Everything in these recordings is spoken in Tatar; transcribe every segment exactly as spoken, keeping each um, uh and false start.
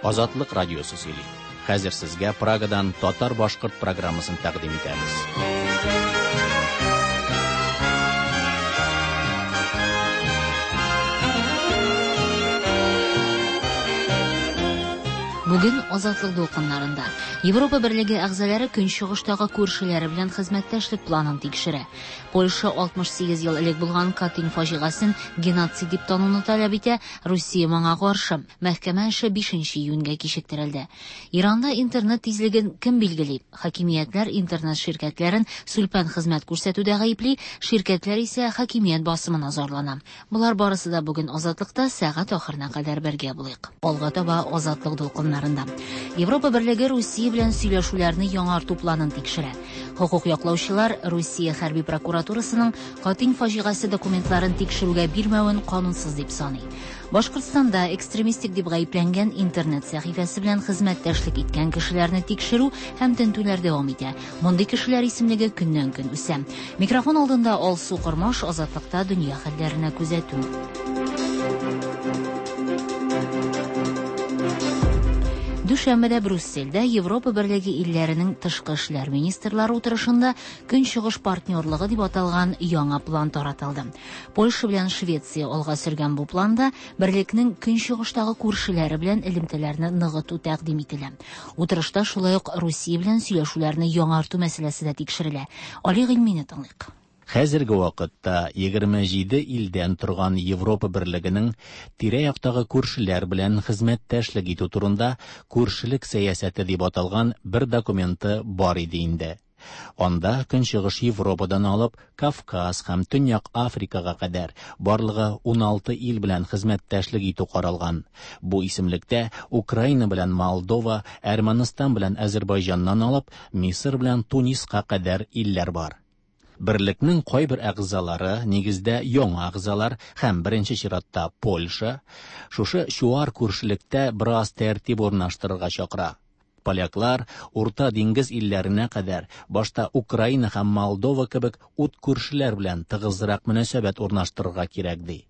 Азатлык радиосы сөйли. Хәзер сезгә Прагадан татар-башкорт программасын тәкъдим итәбез. Бүген Азатлык дулкыннарында Европа Берлеге әгъзалары Көнчыгыштагы күршеләре белән хезмәттәшлек планын тикшерә. Польша алтмыш сигез ел элек булган Катынь фаҗигасын геноцид дип тануны таләп итә, Русия моңа каршы. Мәхкәмә эше бишенче июньгә кичектерелде. Иранда интернет тизлеген кем билгели? Хакимиятләр интернет ширкәтләрен сүлпән хезмәт күрсәтүдә гаепли, ширкәтләр исә хакимият басымына зарлана. Болар барысы да бүген Азатлыкта сәгать ахырына кадәр бергә булыйк. Алга таба Азатлык дулкыннарында. Европа Берлеге Русия белән сөйләшүләрне яңарту планын тикшерә. Хокук яклаучылар Русия хәрби прокуратурасының Катынь фаҗигасе документларын тикшерүгә бирмәвен канунсыз дип саный. Башкортстанда экстремистик дип гаепләнгән интернет сәхифәсе белән хезмәттәшлек иткән кешеләрне тикшерү һәм тентүләр дәвам итә. Мондый кешеләр исемлеге көннән-көн үсә. Микрофон алдында Алсу Кормаш, Азатлыкта дөнья хәлләренә күзәтү. Дүшәмбедә Брюссельдә Европа Берлеге илләренең тышкы эшләр министрлары утырышында Көнчыгыш партнерлыгы дип аталган яңа план таратылды. Польша белән Швеция алга сөргән бу планда берлекнең Көнчыгыштагы күршеләре белән элемтәләрне ныгыту тәкъдим ителә. Утырышта шулай ук Русия белән сөйләшүләрне яңарту мәсьәләсе дә тикшерелә. Али Гыйльмине тыңлыйк. Хәзерге вакытта егерме җиде илдән торган Европа Берлегенең тирә-яктагы күршеләр белән хезмәттәшлек итү турында күршелек сәясәте дип аталган бер документы бар иде инде. Анда Көнчыгыш Европадан алып Кавказ һәм Төньяк Африкага кадәр барлыгы уналты ил белән хезмәттәшлек итү каралган. Бу исемлектә Украина белән Молдова, Әрмәнстан белән Азербайҗаннан алып Мисыр белән Туниска кадәр илләр бар. Берлекнең кайбер әгъзалары, нигездә яңа әгъзалар һәм беренче чиратта Польша, шушы чуар күршелектә бераз тәртип урнаштырырга чакыра. Поляклар Урта диңгез илләренә кадәр башта Украина һәм Молдова кебек ут күршеләр белән тыгызрак мөнәсәбәт урнаштырырга кирәк ди.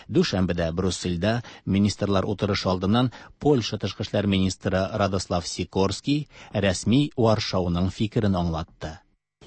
Дүшәмбедә Брюссельдә министрлар утырышы алдыннан Польша тышкы эшләр министры Радослав Сикорский рәсми Варшауның фикерен аңлатты.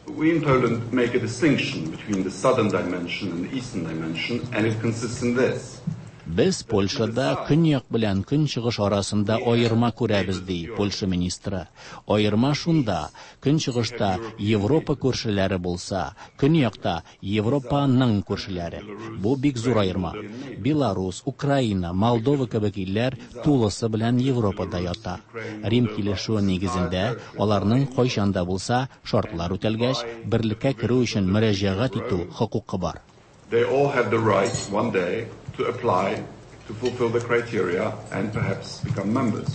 We in Poland make a distinction between the southern dimension and the eastern dimension, and it consists in this. Без Польшада көньяк белән көнчыгыш арасында аерма күрәбез, ди Польша министры. Аерма шунда, көнчыгышта Европа күршеләре булса, көньякта Европаның күршеләре. Бу бик зур аерма. Беларус, Украина, Молдова кебек илләр тулысы белән Европада ята. Рим килешүе нигезендә аларның кайчан да булса шартлар үтәлгәч, берлеккә керү өчен мөрәҗәгать итү хокукы бар. They all have the right one day to apply to fulfill the criteria and perhaps become members.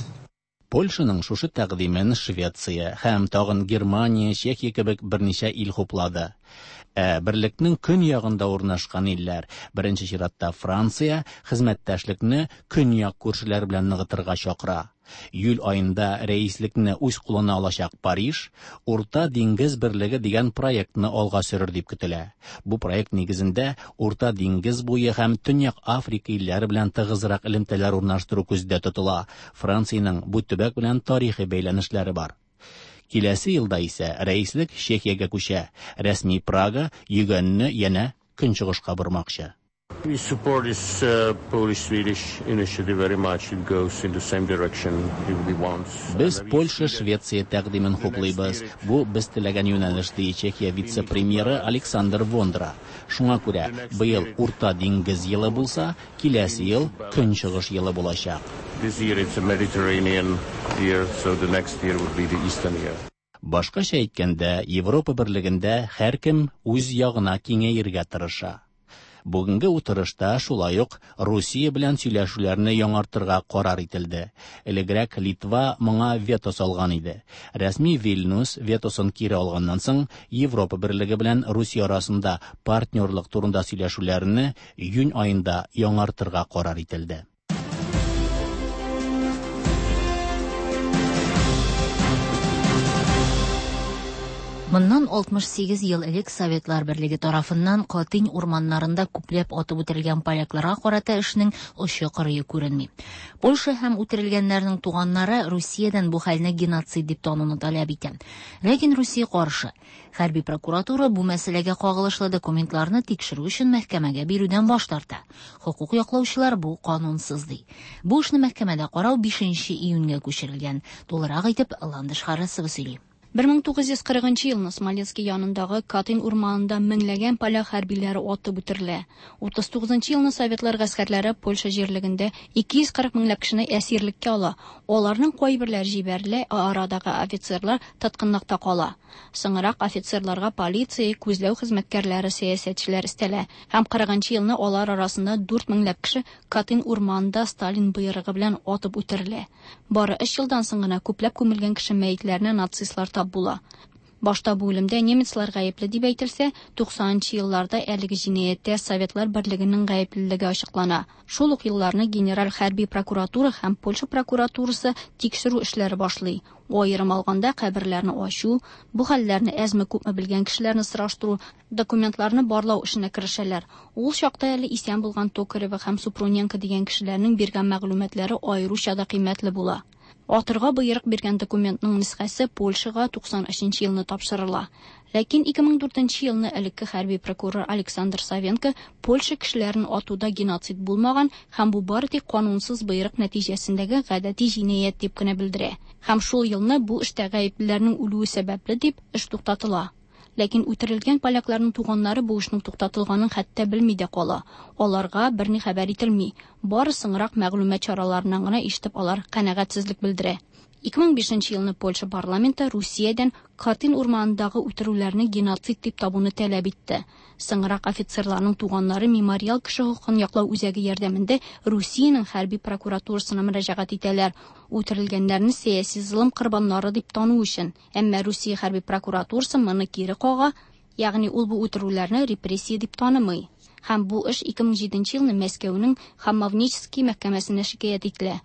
Польшаның шушы тәкъдимен Швеция һәм тагын Германия, Чехия кебек берничә ил хуплады. Ә берлекнең көньягында урнашкан илләр, беренче чиратта Франция, хезмәттәшлекне көньяк күршеләр белән ныгытырга чакыра. Июль айында рәислекне үз кулына алачак Париж Урта диңгез берлеге дигән проектны алга сөрер дип көтелә. Бу проект нигезендә Урта диңгез буе һәм Төньяк Африка илләре белән тыгызрак элемтәләр урнаштыру күздә тотыла. Франциянең бу төбәк белән тарихи бәйләнешләре бар. Киләсе елда исә рәислек Чехиягә күчә. Рәсми Прага йөгәнне янә көнчыгышка бормакчы. We support this, uh, Polish-Swedish initiative very much. It goes in the same direction if we want. Без Польша-Швеция тәкъдимен хуплыйбыз. Бу без теләгән юнәлеш, ди Чехия вице-премьеры Александр Вондра. Шуңа күрә быел Урта диңгез елы булса, киләсе ел Көнчыгыш елы булачак. This year it's a Mediterranean year, so the next year would be the Eastern year. Башкача әйткәндә, Европа берлегендә һәркем үз ягына киңәергә тырыша. Бүгенге утырышта шулай ук Русия белән сөйләшүләрне яңартырга карар ителде. Элегрәк Литва моңа вето салган иде. Рәсми Вильнюс ветосын кире алганнан соң Европа берлеге белән Русия арасында партнерлык турында сөйләшүләрне июнь аенда яңартырга карар ителде. Моннан алтмыш сигез ел элек Советлар Берлеге тарафыннан Катынь урманнарында күпләп атып үтерелгән полякларга карата эшнең очы кырые күренми. Польша һәм үтерелгәннәрнең туганнары Русиядән бу хәлне геноцид дип тануны таләп итә. Ләкин Русия каршы. Хәрби прокуратура бу мәсьәләгә кагылышлы документларны тикшерү өчен мәхкәмәгә бирүдән баш тарта. Хокук яклаучылар бу канунсыз ди. Бу эшне мәхкәмәдә карау бишенче июньгә күчерелгән. Тулырак итеп Ландыш Харисова сөйли. Бер мең тугыз йөз кырыгынчы елны Смоленский янындагы Катынь урманында меңләгән поляк хәрбиләре атып үтерелә. Утыз тугызынчы елны советлар гаскәрләре Польша җирлегендә ике йөз кырык меңләп кешене әсирлеккә ала. Аларның кайберләре җибәрелә, ә арадагы офицерлар тоткынлыкта кала. Соңрак офицерларга полиция, күзләү хезмәткәрләре, сәясәтчеләр өстәлә. Һәм кырыгынчы елны алар арасында дүрт меңләп кеше Катынь урманында Сталин боерыгы белән атып үтерелә. Бары өч елдан соң гына күпләп күмелгән кеше мәетләренә нацистлар тап була. Башта бу үлемдә немецлар гаепле дип әйтелсә, туксанынчы елларда әлеге җинаяттә Советлар Берлегенең гаеплелеге ачыклана. Шул ук елларны Генераль хәрби прокуратура һәм Польша прокуратурасы тикшерү эшләре башлый. Аерым алганда каберләрне ачу, бу хәлләрне әзме-күпме белгән кешеләрне сораштыру, документларны барлау эшенә керешәләр. Ул чакта әле исән булган Токарева һәм Супруненко дигән кешеләрнең биргән мәгълүматлары аеруча да кыйммәтле була. Атырга боерык биргән документның нөсхәсе Польшага туксан өченче елны тапшырыла. Ләкин ике мең дүртенче елны элекке хәрби прокурор Александр Савенко Польша кешеләрен атуда геноцид булмаган һәм бу бары тик канунсыз боерык нәтиҗәсендәге гадәти җинаять дип кенә белдерә. Һәм шул елны бу эштә гаеплеләрнең үлүе сәбәпле дип эш туктатыла. Ләкин үтерелгән полякларның туганнары бу эшнең туктатылганын хәтта белми дә кала. Аларга берни хәбәр ителми. Бары соңрак мәгълүмат чараларыннан гына ишетеп алар канәгатьсезлек белдерә. Ике мең бишенче елны Польша парламенты Русиядән Катынь урманындагы үтерүләрне геноцид дип табуны таләп итте. Соңрак офицерларның туганнары Мемориал кеше хокукын яклау үзәге ярдәмендә Русиянең хәрби прокуратурасына мөрәҗәгать итәләр. Үтерелгәннәрне сәяси золым корбаннары дип тану өчен. Әмма Русия хәрби прокуратурасы моны кире кага, ягъни ул бу үтерүләрне репрессия дип танымый. Һәм бу эш ике мең җиденче елны Мәскәүнең Хамовнический мәхкәмәсенә шикаять ителә.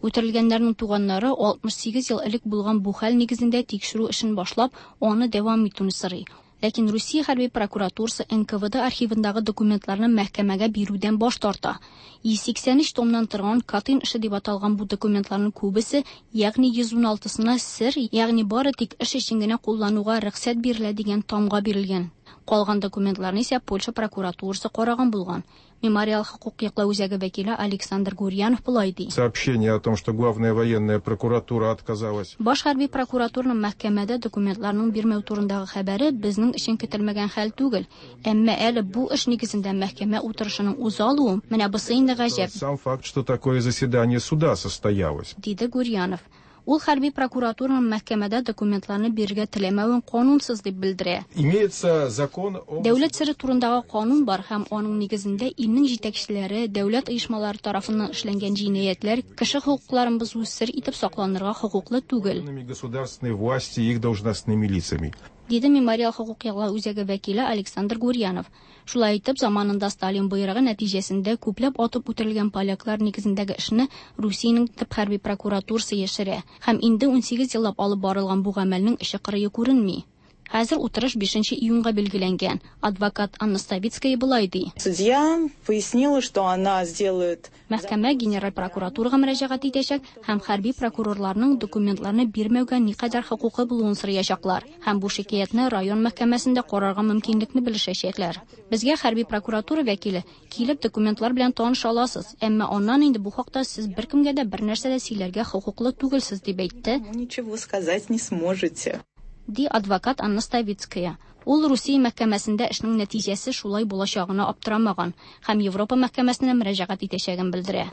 Үтерелгәннәрнең туганнары алтмыш сигез ел элек булган бу хәл нигезендә тикшерү эшен башлап, аны дәвам итүне сорый. Ләкин Русия хәрби прокуратурасы Н К В Д архивындагы документларны мәхкәмәгә бирүдән баш тарта. Йөз сиксән өч томнан торган Катынь эше дип аталган бу документларның күбесе, ягъни йөз ун алтысына сер, ягъни бары тик эш өчен генә куллануга рөхсәт бирелә дигән тамга бирелгән. Калган документларны исә Польша прокуратурасы караган булган. Мемориал хокук яклау үзәге вәкиле Александр Гурьянов болай ди. Сообщение о том, что главная военная прокуратура отказалась. Баш хәрби прокуратураның мәхкәмәдә документларның бирмәү турындагы хәбәре безнең өчен көтелмәгән хәл түгел. Әмма әле бу эш нигезендә мәхкәмә утырышының уза алуы, менә бусы инде гаҗәп. Сам факт, что такое заседание суда состоялось, диде Гурьянов. Ул хәрби прокуратураның мәхкәмәдә документларны бирергә теләмәвен канунсыз дип белдерә. Имеется закон о Дәүләт сере турындагы канун бар һәм аның нигезендә илнең җитәкчеләре, дәүләт оешмалары тарафыннан эшләнгән җинаятьләр кеше хокукларын бозу сер итеп сакланырга хокуклы түгел. Государственной власти и их должностными лицами. Диде Мемориал хокук яклау үзәге вәкиле Александр Гурьянов. Шулай итеп, заманында Сталин боерыгы нәтиҗәсендә күпләп атып үтерелгән поляклар нигезендәге эшне Русиянең төп хәрби прокуратурасы яшерә. Һәм инде ун сигез еллап алып барылган бу гамәлнең эше кырые күренми. Хәзер утырыш бишенче июньгә билгеләнгән. Адвокат Анна Ставицкая болай ди. Судья пояснила, что она сделает Мәхкәмә генераль прокуратурага мөрәҗәгать итәчәк һәм хәрби прокурорларның документларны бирмәүгә никадәр хокукы булуын сораячаклар. Һәм бу шикаятьне район мәхкәмәсендә карарга мөмкинлекне белешәчәкләр. Безгә хәрби прокуратура вәкиле килеп документлар белән таныша аласыз, әмма аннан инде бу хакта сез беркемгә дә бер нәрсә дә сөйләргә хокуклы түгелсез дип әйтте. Ничего сказать не сможете. Ди адвокат Анна Ставицкая. Ул Русия мәхкәмәсендә эшнең нәтиҗәсе шулай булачагына аптырамаган һәм Европа мәхкәмәсенә мөрәҗәгать итәчәген белдерә.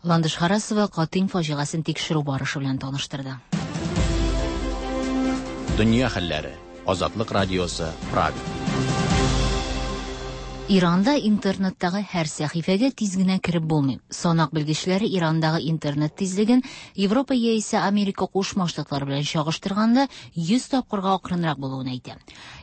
Ландыш Харасова Катынь фаҗигасын тикшерү барышы белән таныштырды. Дөнья хәлләре. Азатлык радиосы, Прага. Иранда интернеттагы һәр сәхифәгә тиз генә кереп булмый. Санак белгечләре Ирандагы интернет тизлеген Европа яисә Америка Кушма Штатлары белән чагыштырганда йөз тапкырга акрынрак булуын әйтә.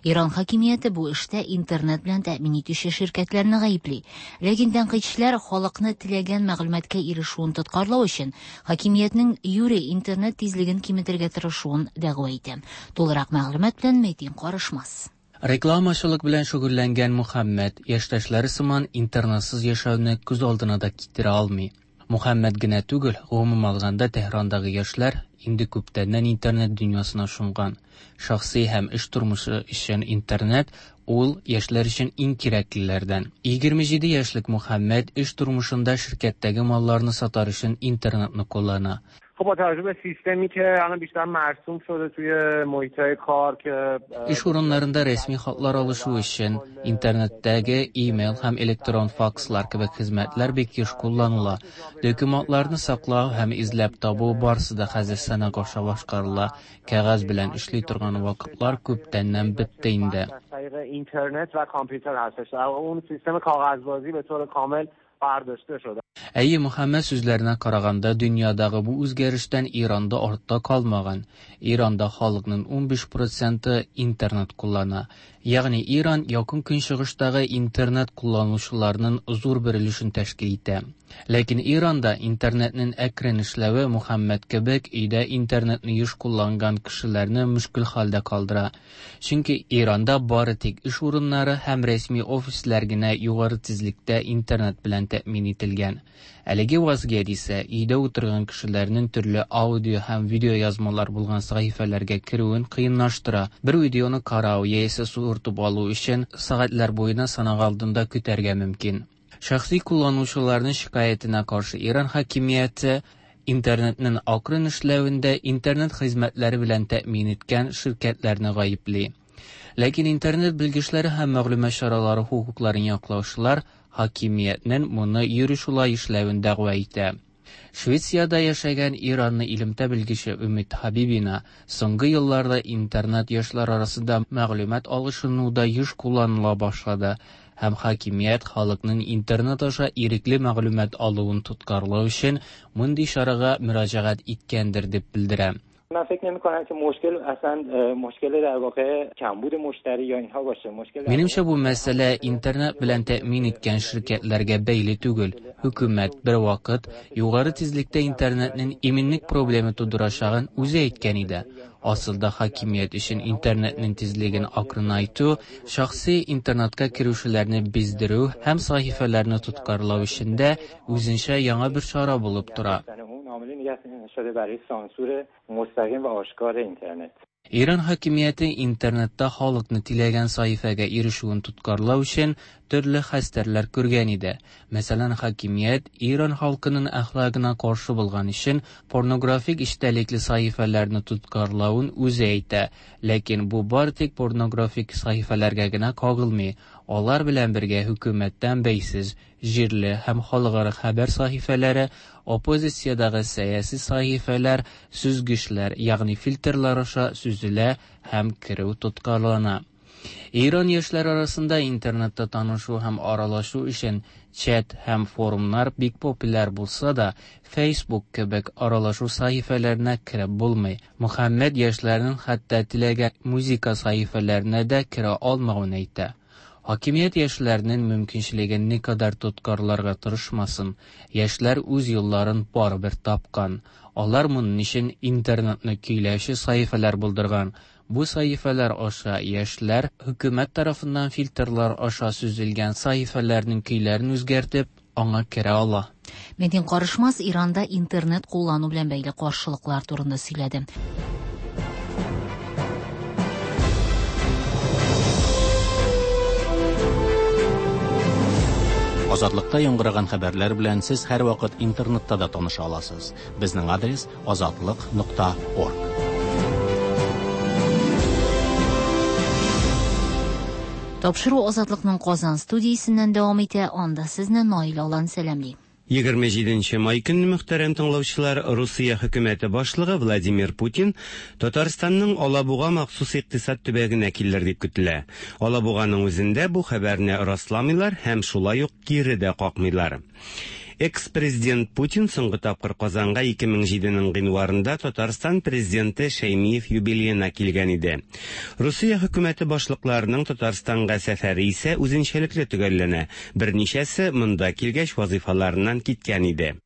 Иран хакимияте бу эштә интернет белән тәэмин итүче ширкәтләрне гаепли. Ләкин тәнкыйтьчеләр халыкны теләгән мәгълүматка ирешүен тоткарлау өчен хакимиятнең юри интернет тизлеген киметергә тырышуын дәгъва итә. Тулырак мәгълүмат белән Мәтин Карышмас. Рекламачылык белән шөгыльләнгән Мөхәммәд яшьтәшләре сыман интернетсыз яшәүне күз алдына да китерә алмый. Мөхәммәд генә түгел, гомум алганда Тәһрандагы яшьләр инде күптәннән интернет дөньясына чумган. Шәхси һәм эш тормышы өчен интернет ул яшьләр өчен иң кирәклеләрдән. Егерме җиде яшьлек Мөхәммәд эш тормышында ширкәттәге малларны сатар өчен интернетны куллана. خب با توجه به سیستمی که الان بیشتر مرسوم شده توی محیط‌های کار که Эш урыннарында рәсми хатлар алышу өчен интернеттәге имейл һәм электрон факслар кебек хезмәтләр бик еш кулланыла. Документларны саклау һәм эзләп табу барысы да хәзер санак аша башкарыла. Кәгазь белән эшли торган вакытлар күптәннән бетте инде. اینترنت و کامپیوتر هستش. در واقع اون سیستم کاغذبازی به طور کامل برداشته شده. Әйе, Мөхәммәд сүзләренә караганда, дөньядагы бу үзгәрештән Иранда артта калмаган. Иранда халыкның унбиш проценты интернет куллана. Ягъни Иран якын көнчыгыштагы интернет кулланучыларның зур бер өлешен тәшкил итә. Ләкин Иранда интернетның әкрен эшләве Мөхәммәд кебек өйдә интернетны еш кулланган кешеләрне мөшкел хәлдә калдыра. Чөнки Иранда бары тик эш урыннары һәм рәсми офислар генә югары тизлектә интернет белән тәэмин ителгән. Әлеге вазгыять исә өйдә утырган кешеләрнең төрле аудио һәм видео язмалар булган сәхифәләргә керүен кыенлаштыра. Бер видеоны карау яисә суыртып алу өчен сәгатьләр буена санак алдында көтәргә мөмкин. Шәхси кулланучыларның шикаятенә каршы Иран хакимияте интернетның акрын эшләвендә интернет хезмәтләре белән тәэмин иткән ширкәтләрне гаепли. Ләкин интернет белгечләре һәм мәгълүмат чаралары хокукларын яклаучылар хакимиятнең моны юри шулай эшләвен дәгъва итә. Швециядә яшәгән Иранны илемтә белгече Өмид Хабибина соңгы елларда интернет яшьләр арасында мәгълүмат алышынуда еш кулланыла башлады һәм хакимият халыкның интернет аша ирекле мәгълүмат алуын тоткарлау өчен мондый чарага мөрәҗәгать иткәндер дип белдерә. من فکر نمی‌کنم که مشکل اصلا مشکل در واقع کمبود مشتری یا اینها باشه. مشکل Минемчә, бу мәсьәлә интернет белән тәэмин иткән ширкәтләргә бәйле түгел. Хөкүмәт бер вакыт югары тизлектә интернетның иминлек проблемы тудырачагын үзе әйткән иде. Асылда хакимият өчен интернетның тизлеген акрынайту, шәхси интернетка керүчеләрне биздерү һәм сәхифәләрне тоткарлау өчен дә үзенчә яңа бер чара булып тора. شده برای سانسور مستقیم و آشکار اینترنت. Иран хакимияте интернетта халыкны теләгән сәхифәгә ирешүен тоткарлау өчен төрле хәстәрләр күргән иде. Мәсәлән, хакимият Иран халкының әхлагына каршы булган өчен порнографик эчтәлекле сәхифәләрне тоткарлавын үзе әйтә. Ләкин бу бары тик порнографик сәхифәләргә генә кагылмый. Алар белән бергә хөкүмәттән бәйсез җирле һәм халыкара хәбәр сәхифәләре, оппозициядәге сәяси сәхифәләр, сүзгечләр, ягъни фильтрлар аша сүзелә һәм керү тоткарлана. Иран яшьләре арасында интернетта танышу һәм аралашу өчен чат һәм форумнар бик популяр булса да, Facebook кебек аралашу сәхифәләренә кереп булмый. Мөхәммәд яшьләрнең хәтта теләгән музыка сәхифәләренә дә керә алмавын әйтә. Хакимият яшьләрнең мөмкинчелеген никадәр тоткарларга тырышмасын, яшьләр үз юлларын барыбер тапкан. Алар моның өчен интернетны көйләүче сәхифәләр булдырган. Бу сәхифәләр аша яшьләр хөкүмәт тарафыннан фильтрлар аша сүзелгән сәхифәләрнең көйләрен үзгәртеп, аңа керә ала. Мәтин Карышмас Иранда интернет куллану белән бәйле каршылыклар турында сөйләде. Азатлыкта яңгыраган хәбәрләр белән сез һәрвакыт интернетта да таныша аласыз. Безнең адрес азатлык нокта орг. Тапшыру Азатлыкның Казан студиясеннән дәвам итә. Анда сезне Наил Алан сәламли. Егерме җиденче май көнне, мөхтәрәм тыңлаучылар, Русия хөкүмәте башлыгы Владимир Путин Татарстанның Алабуга махсус икътисад төбәгенә килер дип көтелә. Алабуганың үзендә бу хәбәрне расламыйлар һәм шулай ук кире дә какмыйлар. Экс-президент Путин соңгы тапкыр Казанга ике мең җиденең гыйнварында Татарстан президенты Шәймиев юбилеена килгән иде. Русия хөкүмәте башлыкларының Татарстанга сәфәре исә үзенчәлекле төгәлләнә. Берничәсе монда килгәч вазифаларыннан киткән иде.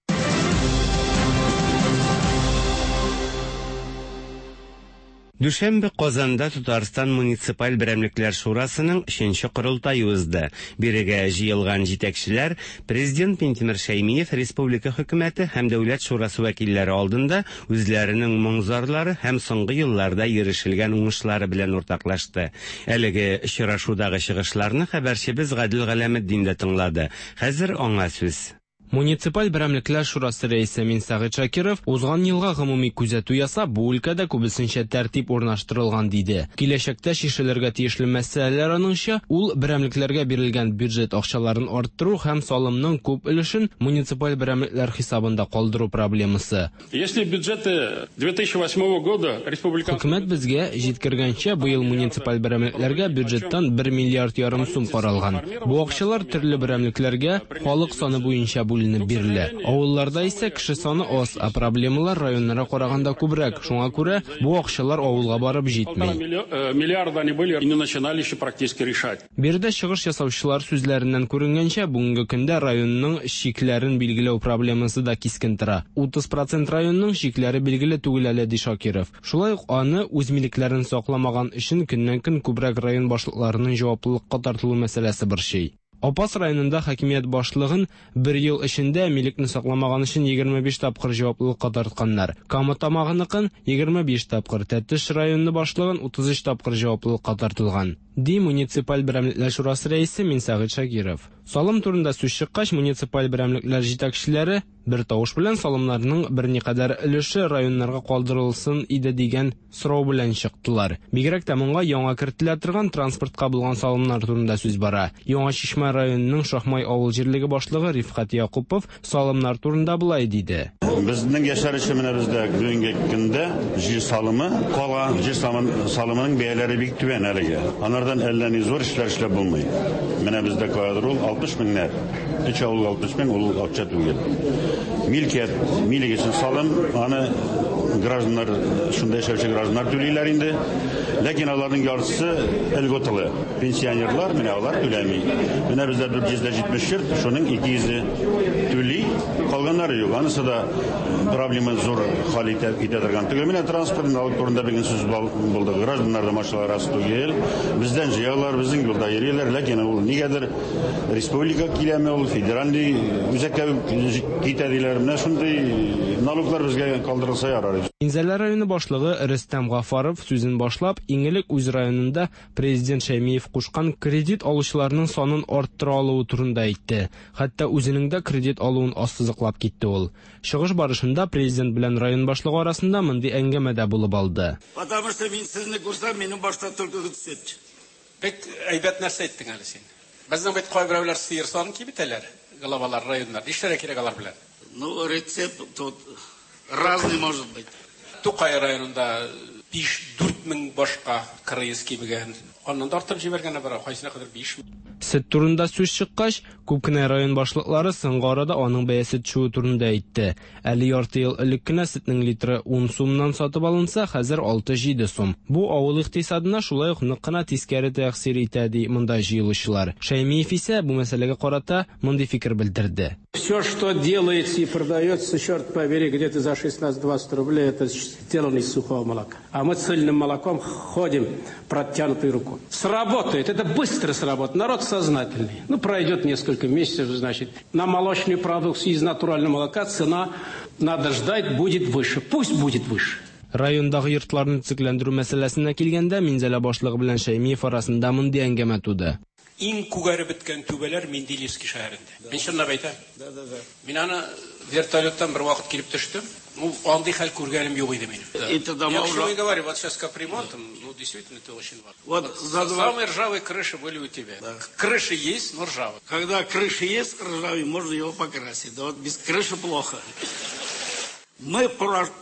Дүшәмбе Казанда Татарстан муниципаль берәмлекләр шурасының өченче корылтае узды. Бирегә җыелган җитәкчеләр президент Минтимер Шәймиев республика хөкүмәте һәм дәүләт шурасы вәкилләре алдында үзләренең моң-зарлары һәм соңгы елларда ирешелгән уңышлары белән уртаклашты. Әлеге очрашудагы чыгышларны хәбәрчебез Гадел Галәметдин дә тыңлады. Хәзер аңа сүз. Муниципаль берәмлекләр шурасы рәисе Минсәгыйть Шакиров узган елга гомуми күзәтү ясап, бу өлкәдә күбесенчә тәртип урнаштырылган диде. Киләчәктә чишелергә тиешле мәсьәләләр аныңча, ул берәмлекләргә бирелгән бюджет акчаларын арттыру һәм салымның күп өлешен муниципаль берәмлекләр хисабында калдыру проблемасы. Если бюджеты две тысячи восьмого года республиканский Хөкүмәт безгә җиткергәнчә, быел муниципаль берәмлекләргә бюджеттан бер миллиард ярым сум каралган. Бу акчалар төрле берәмлекләргә халык саны буенча бүленеп бирелә. Авылларда исә кеше саны аз, ә проблемалар районнарга караганда күбрәк. Шуңа күрә бу акчалар авылга барып җитми. Миллиарда они были и не начинали еще практически решать. Биредә чыгыш ясаучылар сүзләреннән күренгәнчә, бүгенге көндә районның чикләрен билгеләү проблемасы да кискен тора. Утыз процент районның чикләре билгеле түгел әле, ди Шакиров. Шулай ук аны үз милекләрен сакламаган өчен көннән-көн күбрәк район башлыкларының җаваплылыкка тартылу мәсьәләсе борчый. Апас районында хакимият башлыгын бер ел эчендә милекне сакламаган өчен егерме биш тапкыр җаваплылыкка тартканнар. Кама Тамагыныкын егерме биш тапкыр, Тәтеш районы башлыгын утыз өч тапкыр җаваплылыкка тартылган, ди муниципаль берәмлекләр шурасы рәисе Минсәгыйть Шакиров. Салым турында сүз чыккач, муниципаль берәмлекләр җитәкчеләре бер тавыш белән салымнарның берникадәр өлеше районнарга калдырылсын иде дигән сорау белән чыктылар. Бигрәк тә моңа яңа кертелә торган транспортка булган салымнар турында сүз бара. Яңа Чишмә районының Шахмай авыл җирлеге башлыгы Рифкать Якупов салымнар турында болай диде. Безнең яшәр өчен менә бездә бүгенге көндә җир салымы кала, җир салымының бәяләре бик түбән әлегә. Анардан әллә ни зур эшләр эшләп булмый. Менә бездә каядыр ул алтмыш меңнәр. Өч авылга алтмыш мең ул акча түгел. Милкият, милек өчен салым, аны гражданнар, шунда яшәүче гражданнар түлиләр инде. Ләкин аларның яртысы льготалы. Пенсионерлар менә алар түләми. Менә бездә дүрт йөз җитмеш йорт, шуның ике йөзе түли, калганнары юк. Анысы да проблема зур хәл итә, итә торган түгел. Менә транспорт налог турында бүген сүз булды. Гражданнарда машиналар аз түгел. Бездән җыялар, безнең юлда йөриләр, ләкин ул нигәдер республика киләме, ул федеральный үзәккә китә диләр. Менә шундый налоглар безгә калдырылса ярар. Минзәлә районы башлыгы Рөстәм Гафаров сүзен башлап, иң элек үз районында президент Шәймиев кушкан кредит алучыларның санын арттыра алуы турында әйтте. Хәтта үзенең дә кредит алуын ассызыклап китте ул. Чыгыш барышында президент белән район башлыгы арасында мондый әңгәмә дә булып алды. Потому что мин сезне күрсәм, минем башта только сөт. Бик әйбәт нәрсә әйттең әле син. Безнең бит кайберәүләр сыер санын кибетәләр, главалар районнар. Нишләргә кирәк алар белән? Ну, рецепт тут разный может быть. Тукай районында биш-дүрт мең башка кырыйыз кибегән. Аннан да артып җибәргәннәр бар, кайсына кадәр биш мең. Сөт турында сүз чыккач, күп кенә район башлыклары соңгы арада аның бәясе төшүе турында әйтте. Әле ярты ел элек кенә сөтнең литры ун сумнан сатып алынса, хәзер алты-җиде сум. Бу авыл икътисадына шулай ук нык кына тискәре тәэсир итә, ди монда җыелучылар. Шәймиев исә бу мәсьәләгә карата мондый фикер белдерде. Все, что делается и продается, черт побери, где-то за шестнадцать-двадцать рублей, это сделано из сухого молока. А мы цельным молоком ходим протянутой рукой. Сработает, это быстро сработает. Народ сознательный. Ну, пройдет несколько месяцев, значит, на молочную продукцию из натурального молока цена, надо ждать, будет выше. Пусть будет выше. Райондагы йортларны төзекләндерү мәсьәләсенә килгәндә, Минзәлә башлыгы белән Шәймиев арасында мондый әңгәмә туды. Иң күгәреп беткән түбәләр Менделеевский шәһәрендә. Мин чынлап әйтәм. Да, да, да. Мин аны Вертолеттан бер вакыт килеп төштем. Ну, андый хәл күргәнем юк иде минем. Это дома Я к чему уже- и говорю, вот сейчас капремонтом, ну, действительно, это очень важно. Вот Вот за два- Самые ржавые крыши были у тебя. Крыши есть, но ржавые. Когда крыша есть ржавый, можно его покрасить. Да вот без крыши плохо. Мы в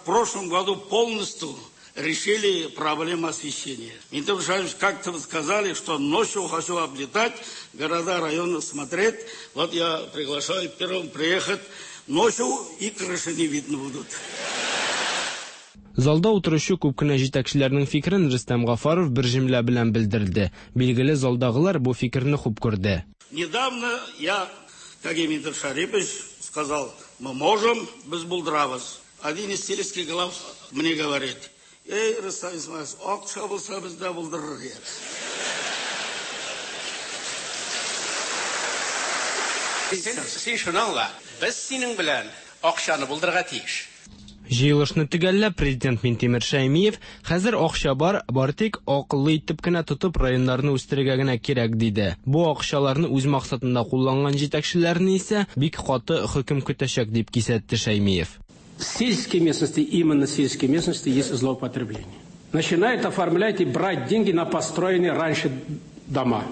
прошлом году полностью решили проблему освещения. Минтимер Шарипович, как-то вы сказали, что ночью хочу облетать, города, районы смотреть. Вот я приглашаю первым приехать ночью, и крыши не видно будут. Залда утыручы күп кенә җитәкчеләрнең фикерен Рөстәм Гафаров бер җөмлә белән белдерде. Билгеле, залдагылар бу фикерне хуп күрде. Недавно я, как и Минтимер Шарипович, сказал, мы можем, без булдырабыз. Один из сельских глав мне говорит, эй, Рөстәм Исмаилович, акча булса без дә булдырыр идек. Син, син шуны аңла, без синең белән акчаны булдырырга тиеш. Җыелышны төгәлләп президент Минтимер Шәймиев хәзер акча бар, бар тик акыллы итеп кенә тотып районнарны үстерергә генә кирәк диде. Бу акчаларны үз максатында кулланган җитәкчеләрне исә бик каты хөкем көтәчәк дип кисәтте Шәймиев. В сельской местности, именно в сельской местности есть злоупотребление. Начинают оформлять и брать деньги на построенные раньше дома.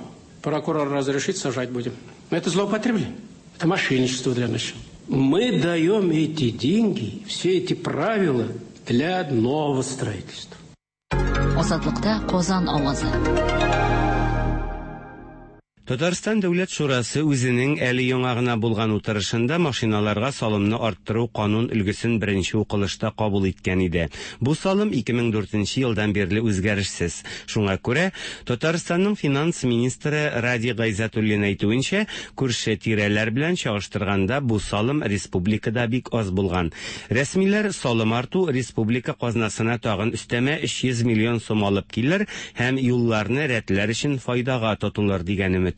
Прокурор разрешит, сажать будем. Но это злоупотребление. Это мошенничество для начала. Мы даем эти деньги, все эти правила для нового строительства. Азатлыкта Казан авазы. Татарстан Дәүләт Шурасы үзенең әле яңа гына булган утырышында машиналарга салымны арттыру канун өлгесен беренче укылышта кабул иткән иде. Бу салым ике мең дүртенче елдан бирле үзгәрешсез. Шуңа күрә Татарстанның финанс министры Ради Гайзатуллин әйтүенчә, күрше тирәләр белән чагыштырганда бу салым республикада бик аз булган. Рәсмиләр салым арту республика казнасына тагын өстәмә өч йөз миллион сум алып килер һәм юлларны рәтләр өчен файдага тотылыр дигән өмет.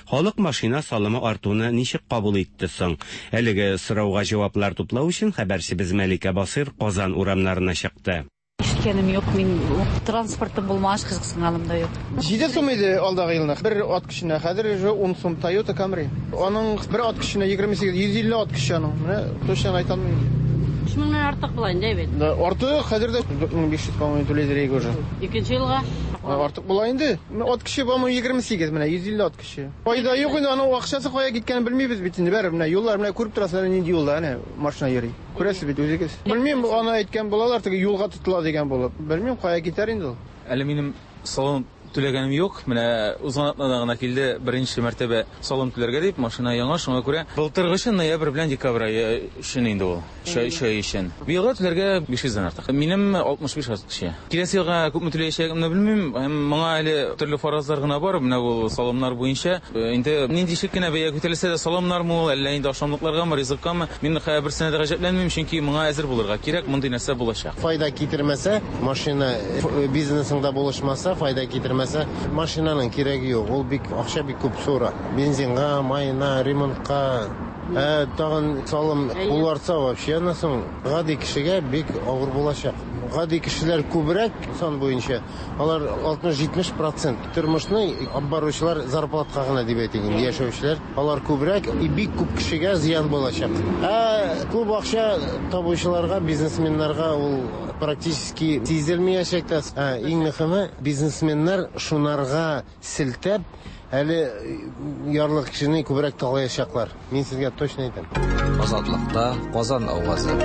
Халык машина салымы артуны ничек кабул итте соң? Әлеге сорауга җаваплар туплау өчен хәбәрчебез Мәликә Басыр Казан урамнарына чыкты. Ишеткәнем юк, мин транспортым булмагач кызыксынганым да юк. Җиде сум иде алдагы елны. Бер ат көченә, хәзер уже ун сум Toyota Camry. Аның бер ат көченә егерме сигез, йөз илле ат көче аның. Менә точно әйтә алмыйм. Өч меңнән артык була инде бит. Да, артык хәзер дә дүрт мең биш йөз, по-моему, түләйдер иде уже. Икенче елга? Артык була инде. Ат көче, по-моему, егерме сигез, менә йөз илле ат көче. Файда юк инде, аның акчасы кая киткәнен белмибез бит инде. Бәрбер менә юллар менә күреп торасыз, нинди юлда әнә машина йөри. Күрәсез бит үзегез. Белмим, аны әйткән булалар, теге юлга тотыла дигән булып. Белмим, кая китәр инде ул. Әле минем салым түләгәнем юк. Менә узган атнада гына килде беренче мәртәбә салым түләргә дип, машина яңа, шуңа күрә былтыргы өчен ноябрь белән декабрь ае өчен инде ул. Өч ай, өч ай өчен. Быелга түләргә биш йөздән артык. Минем алтмыш биш ат кеше. Киләсе елга күпме түләячәгемне белмим. Һәм моңа әле төрле фаразлар гына бар. Менә бу салымнар буенча инде нинди шик кенә бәя күтәрелсә дә салымнармы ул, әллә инде ашамлыкларгамы, ризыккамы, мин берсенә дә гаҗәпләнмим, чөнки моңа әзер булырга кирәк, мондый нәрсә булачак. Файда китермәсә, машина бизнесыңда булышмаса, файда китермәсә, машинаның кирәге юк. Ул бик акча бик күп сора. Бензинга, майына, ремонтка, ә, тагын салым ул артса вообще аннан соң гади кешегә бик авыр булачак. Гади кешеләр күбрәк сан буенча, алар алтмыш-җитмеш процент тормышны алып баручылар зарплатка гына дип әйтик инде, яшәүчеләр, алар күбрәк и бик күп кешегә зыян булачак. Ә күп акча табучыларга, бизнесменнарга ул практически сизелмәячәк тә. Ә, иң мөһиме, бизнесменнар шунарга селтәп, әле ярлы кешене күбрәк талаячаклар. Мин сезгә точно әйтәм. Азатлыкта Казан авазы.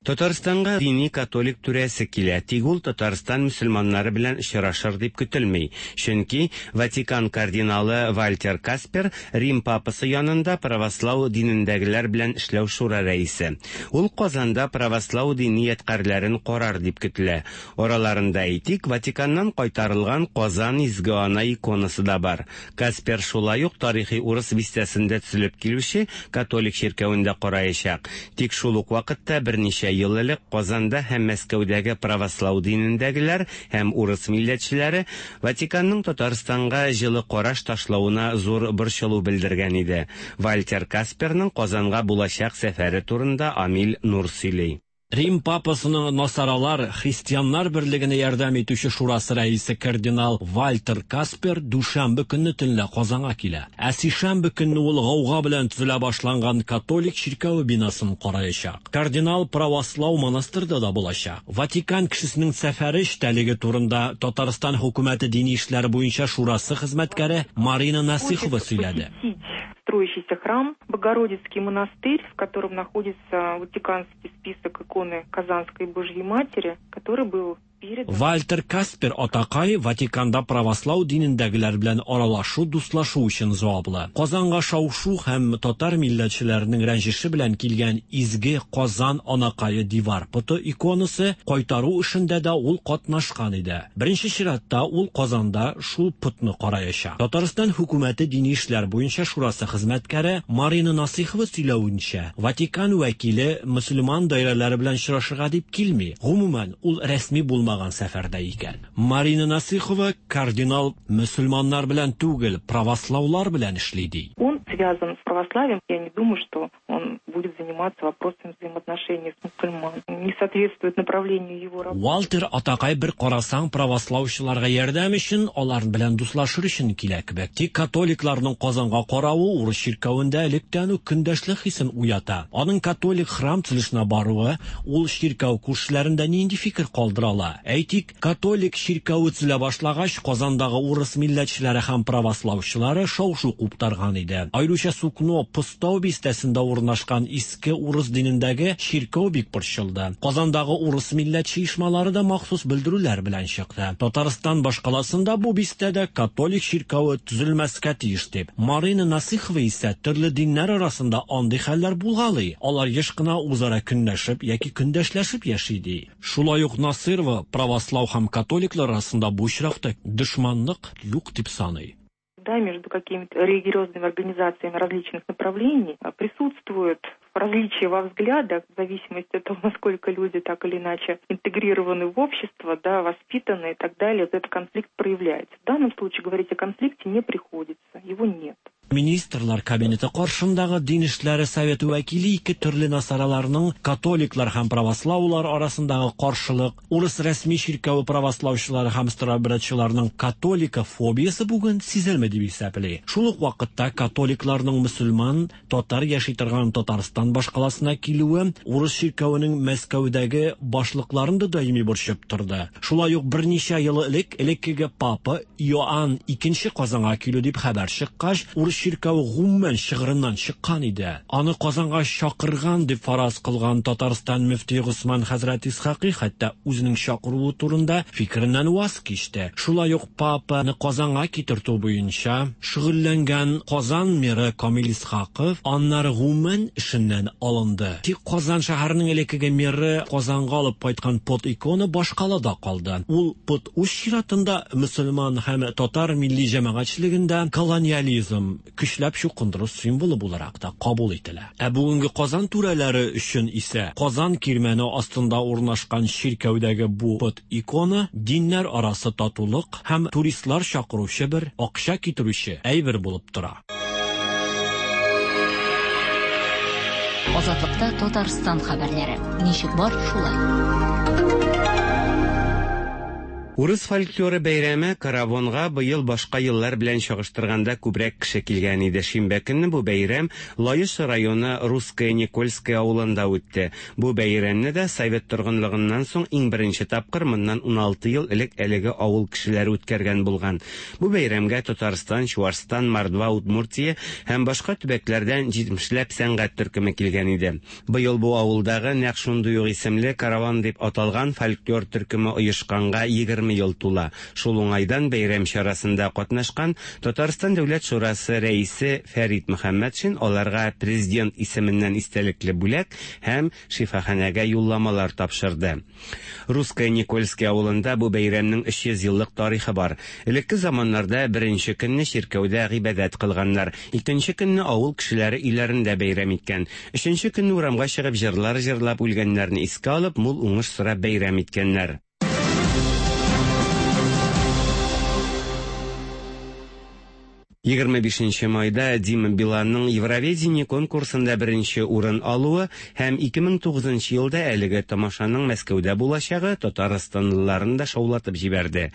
Татарстанга дини католик түрәсе килә, тик ул Татарстан мөселманнары белән очрашыр дип көтелми. Чөнки Ватикан кардиналы Вальтер Каспер Рим папасы янында правослау динендәгеләр белән эшләү шура рәисе. Ул Казанда правослау дини ядкарьләрен карар дип көтелә. Араларында әйтик, Ватиканнан кайтарылган Казан Изге Ана иконасы да бар. Каспер шулай ук тарихи урыс бистәсендә төзелеп килүче католик чиркәвендә караячак. Тик шул ук вакытта берничә ел элек Казанда һәм Мәскәүдәге правослау динендәгеләр һәм урыс милләтчеләре Ватиканның Татарстанга җылы караш ташлавына зур борчылу белдергән иде. Вальтер Касперның Казанга булачак сәфәре турында Амил Нур сөйли. Рим папасының насаралар христианнар берлегенә ярдәм итүче шурасы рәисе кардинал Вальтер Каспер дүшәмбе көнне төнлә Казанга килә. Ә сишәмбе көнне ул гауга белән төзелә башланган католик чиркәве бинасын караячак. Кардинал правослау монастырьда да булачак. Ватикан кешесенең сәфәре эчтәлеге турында Татарстан хөкүмәте дини эшләр буенча шурасы хезмәткәре Марина Насыхова сөйләде. Строящийся храм, Богородицкий монастырь, в котором находится ватиканский список иконы Казанской Божьей Матери, который был передан... Вальтер Каспер атакай Ватиканда правослау динендәгеләр белән аралашу, дуслашу өчен җаваплы. Казанга шау-шу һәм татар милләтчеләренең рәнҗеше белән килгән изге Казан анакае дивар поты иконасы кайтару эшендә дә ул катнашкан иде. Беренче чиратта ул Казанда шул потны караячак. Татарстан хөкүмәте дини эшләр буенча шурасы хезмәткәре Марина Насыхова сөйләвенчә, Ватикан вәкиле мөселман даирәләре белән очрашырга дип килми. Гомумән, ул рәсми булмаган сәфәрдә икән. Марина Насыхова кардинал мөселманнар белән түгел, правослаулар белән эшли ди. Он связан с православием. Я не думаю, что он будет заниматься вопросами взаимоотношений с мусульманами. Не соответствует направлению его работы. Вальтер атакай бер карасаң правослаучыларга ярдәм өчен, алар белән дуслашыр өчен килә кебек. Тик католикларның Казанга каравы урыс чиркәвендә электән үк көндәшлек хисен уята. Аның католик храм төзелешенә баруы ул чиркәү күршеләрендә нинди фикер калдыра ала? Әйтик, католик чиркәве төзелә башлагач, Казандагы урыс милләтчеләре һәм правослаучылары шау-шу куптарган иде. Аеруча Сукно Постау бистәсендә урнашкан иске урыс динендәге чиркәү бик борчылды. Казандагы урыс милләтче оешмалары да махсус белдерүләр белән чыкты. Татарстан башкаласында бу бистәдә католик чиркәве төзелмәскә тиеш дип. Марина Насыхова исә төрле диннәр арасында андый хәлләр булгалый. Алар еш кына үзара көнләшеп яки көндәшләшеп яши ди. Шулай ук Насырова правослау һәм католиклар арасында бу очракта дошманлык юк дип саный. Да, между какими-то религиозными организациями различных направлений присутствует различия во взглядах, в зависимости от того, насколько люди так или иначе интегрированы в общество, да, воспитаны и так далее, вот этот конфликт проявляется. В данном случае говорить о конфликте не приходится, его нет. Министрлар кабинеты каршындагы дин эшләре советы вәкиле ике төрле насараларның католиклар һәм правослаулар арасындагы каршылык, урыс рәсми чиркәве правослаучылары һәм старообрядчыларның католика фобиясе бүген сизелми дип исәпли. Шул ук вакытта католикларның мөселман, татар яши торган Татарстан башкаласына килүе урыс чиркәвенең Мәскәүдәге башлыкларын да даими борчып торды. Шулай ук берничә ел элек элеккеге папа Иоанн икенче Казанга килү дип хәбәр чыккач, урыс чиркәве гомумән чыгырыннан чыккан иде. Аны Казанга чакырган дип фараз кылган Татарстан мөфтие Госман хәзрәт Исхакый хәтта үзенең чакыруы турында фикереннән ваз кичте. Шулай ук папаны Казанга китертү буенча шөгыльләнгән Казан мэры Камил Исхаков аннары гомумән эшеннән алынды. Тик Казан шәһәренең элеккеге мэры Казанга алып кайткан пот икона башкалада калды. Ул пот үз чиратында мөселман һәм татар милли җәмәгатьчелегендә колониализм, көчләп чукындыру символы буларак та кабул ителә. Ә бүгенге Казан түрәләре өчен исә Казан кирмәне астында урнашкан чиркәүдәге бу пот икона диннәр арасы татулык һәм туристлар чакыручы бер акча китерүче әйбер булып тора. Азатлыкта Татарстан хәбәрләре. Ничек бар, шулай. Урыс фольклоры бәйрәме Каравонга быел башка еллар белән чагыштырганда күбрәк кеше килгән иде. Шимбә көнне бу бәйрәм Лаеш районы Русская Никольская авылында үтте. Бу бәйрәмне дә совет торгынлыгыннан соң иң беренче тапкыр моннан уналты ел элек әлеге авыл кешеләре үткәргән булган. Бу бәйрәмгә Татарстан, Чуашстан, Мордва, Удмуртия һәм башка төбәкләрдән җитмешләп сәнгать төркеме килгән иде. Быел бу авылдагы нәкъ шундый ук исемле Каравон дип аталган фольклор төркеме оешканга егерме ел тула. Шул уңайдан бәйрәм чарасында катнашкан Татарстан Дәүләт Шурасы рәисе Фәрит Мөхәммәтшин аларга президент исеменнән истәлекле бүләк һәм шифаханәгә юлламалар тапшырды. Русская Никольская авылында бу бәйрәмнең өч йөз еллык тарихы бар. Элекке заманнарда беренче көнне чиркәүдә гыйбадәт кылганнар, икенче көнне авыл кешеләре өйләрендә бәйрәм иткән, өченче көнне урамга чыгып җырлар җырлап үлгәннәрне искә алып, мул уңыш сорап бәйрәм иткәннәр. Егерме бишенче майда Дима Биланның Евровидение конкурсында беренче урын алуы һәм ике мең тугызынчы елда әлеге тамашаның Мәскәүдә булачагы татарстанлыларын да шаулатып җибәрде.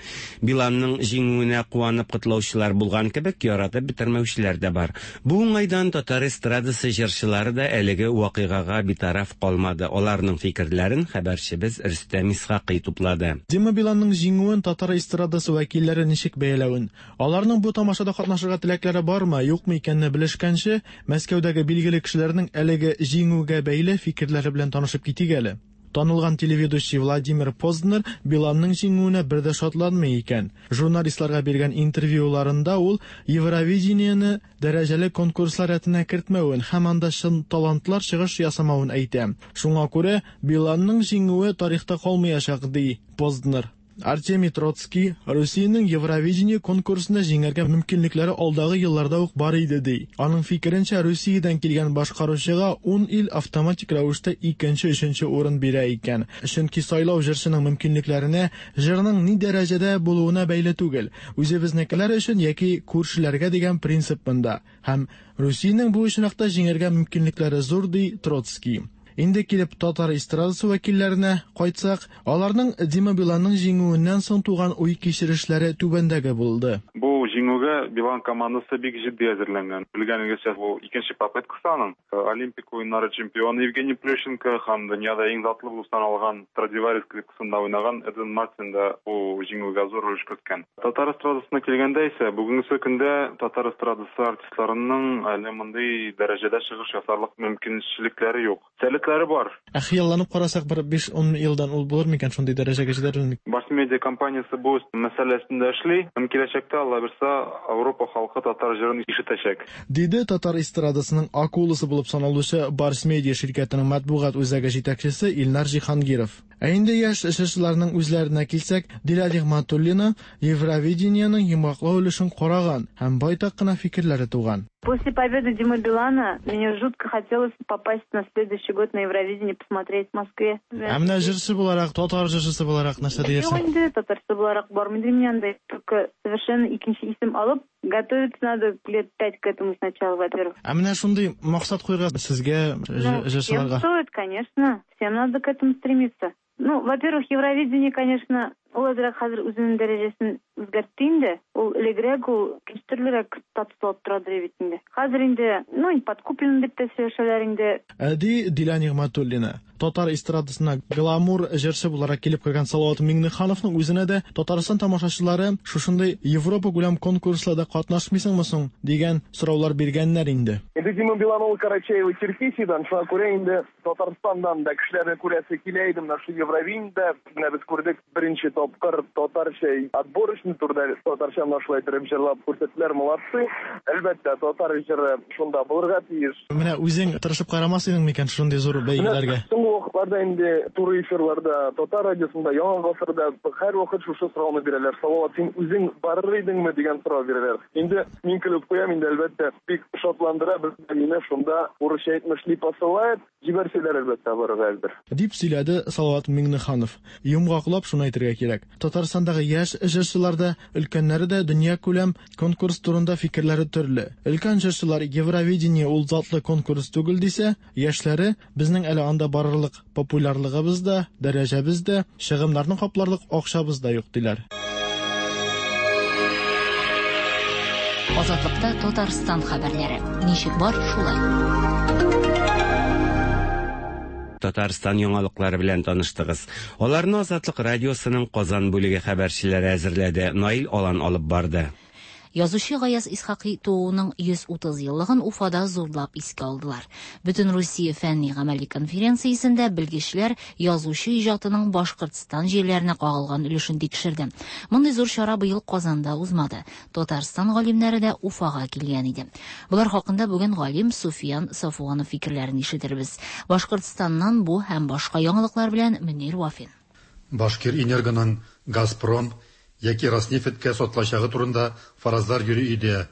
Биланның җиңүенә куанып котлаучылар булган кебек, яратып бетермәүчеләр дә бар. Бу уңайдан татар эстрадасы җырчылары да әлеге вакыйгага битараф калмады. Аларның фикерләрен хәбәрчебез Рөстәм Исхакый туплады. Дима Биланның җиңүен татар эстрадасы вәкилләре ничек бәяләвен, аларның бу тамашада катнашырга теләкләре бармы, юкмы икәнне белешкәнче, Мәскәүдәге билгеле кешеләрнең әлеге җиңүгә бәйле фикерләре белән танышып китик әле. Танылган телеведущий Владимир Познер Биланның җиңүенә бер дә шатланмый икән. Журналистларга биргән интервьюларында ул Евровидениене дәрәҗәле конкурслар рәтенә кертмәвен һәм анда чын талантлар чыгыш ясамавын әйтә. Шуңа күрә Биланның җиңүе тарихта калмаячак, ди Познер. Артемий Троцкий Русиянең Евровидение конкурсында җиңәргә мөмкинлекләре алдагы елларда ук бар иде, ди. Аның фикеренчә, Русиядән килгән башкаручыга ун ил автоматик рәвештә икенче, өченче урын бирә икән. Чөнки сайлау җырчының мөмкинлекләренә, җырның ни дәрәҗәдә булуына бәйле түгел. Үзебезнекеләр өчен яки күршеләргә дигән принцип монда. Һәм Русиянең бу очракта җиңәргә мөмкинлекләре зур, ди Троцкий. Инде килеп татар эстрадасы вәкилләренә кайтсак, аларның Дима Биланның җиңүеннән соң туган уй-кичерешләре түбәндәге булды. Бу җиңүгә Билан командасы бик җитди әзерләнгән. Белгәнегезчә, бу икенче попыткасы аның. Олимпик уеннары чемпионы Евгений Плющенко һәм дөньяда иң затлы булып саналган Страдивари скрипкасында уйнаган Эдвин Мартин да бу җиңүгә зур өлеш керткән. Татар эстрадасына килгәндә исә, бүгенге көндә татар эстрадасы артистларының әле мондый дәрәҗәдә чыгыш ясарлык мөмкинчелекләре юк. Сәләтләре бар. Ә хыялланып карасак, бер биш-ун елдан ул булыр микән шундый дәрәҗәгә җитәрлек? Барс Медиа компаниясе бу мәсьәләсендә эшли. Һәм киләчәктә, Алла бирсә, Европа халкы татар җырын ишетәчәк. Диде татар эстрадасының акуласы булып саналучы Барс Медиа ширкәтенең матбугат үзәге җитәкчесе Илнар Җиһангиров. Ә инде яшь җырчыларның үзләренә килсәк, Дилә Нигъмәтуллина Евровидениеның йомгаклау өлешен караган һәм байтак кына фикерләре туган. После победы Димы Билана мне жутко хотелось попасть на следующий год на Евровидение, посмотреть в Москве. Ә менә җырчы буларак, татар җырчысы буларак нәрсә диярсең? Юк инде, татарчы буларак бармый мин анда. Только совершенно икенче исем алып, готовиться надо лет пять к этому сначала, во-первых. Ә менә шундый максат куярга сезгә, җырчыларга? Всем стоит, конечно. Всем надо к этому стремиться. Ну, во-первых, Евровидение, конечно, ул әзрәк хәзер үзенең дәрәҗәсен үзгәртте инде. Ул элегрәк, ул төрлерәк статус алып торадыр бит инде. Хәзер инде, ну, подкуплен дип тә сөйләшәләр инде. Ди Дилә Нигъмәтуллина. Татар эстрадасына гламур җырчы буларак килеп кергән Салават Миңнехановның үзенә дә Татарстан тамашачылары шушындый Европа күләм конкурсларда катнашмыйсыңмы соң дигән сораулар биргәннәр инде. Инде Дима Билан ул Карачаево-Черкесиядән, шуңа күрә инде Татарстаннан да кешеләрне күрәсе килә иде менә шу Евровидениедә. Менә без күрдек беренче тапкыр татарча отборочный турда татарча менә шулай итеп җырлап күрсәттеләр, молодцы. Әлбәттә, татар җыры шунда булырга тиеш. Менә үзең тырышып карамас идең микән шундый зур бәйгеләргә? Соңгы вакытларда инде туры эфирларда, татар радиосында, Яңа гасырда һәр вакыт шушы сорауны бирәләр. Салават, син үзең барыр идеңме дигән сорау бирәләр. Инде мин көлеп куям, инде әлбәттә бик шатландыра безне, мине шунда урысча әйтмешли посылает, җибәрсәләр әлбәттә барырга әзер. Дип сөйләде Салават Миңнеханов. Йомгаклап шуны әйтергә кирәк. Татарстандагы яшь җырчылар да, өлкәннәре дә дөнья күләм конкурс турында фикерләре төрле. Өлкән җырчылар Евровидение ул затлы конкурс түгел дисә, яшьләре безнең әле анда барырлык популярлыгыбыз да, дәрәҗәбез дә, чыгымнарны капларлык акчабыз да юк диләр. Азатлыкта Татарстан хәбәрләре. Ничек бар, шулай. Татарстан яңалыклары белән таныштыгыз. Аларны Азатлык радиосының Казан бүлеге хәбәрчеләре әзерләде. Наил Алан алып барды. Язучы Гаяз Исхакый тууының йөз утыз еллыгын Уфада зурлап искә алдылар. Бөтен Русия фәнни гамәли конференциясендә белгечләр язучы иҗатының Башкортстан җирләренә кагылган өлешен тикшерде. Мондый зур чара быел Казанда узмады. Татарстан галимнәре дә Уфага килгән иде. Болар хакында бүген галим Суфиян Сафуанов фикерләрен ишетербез. Башкортстаннан бу һәм башка яңалыклар белән Мөнир Вафин. Башкир Энергоның Газпром яки Роснефтькә сатылачагы турында фаразлар йөри иде.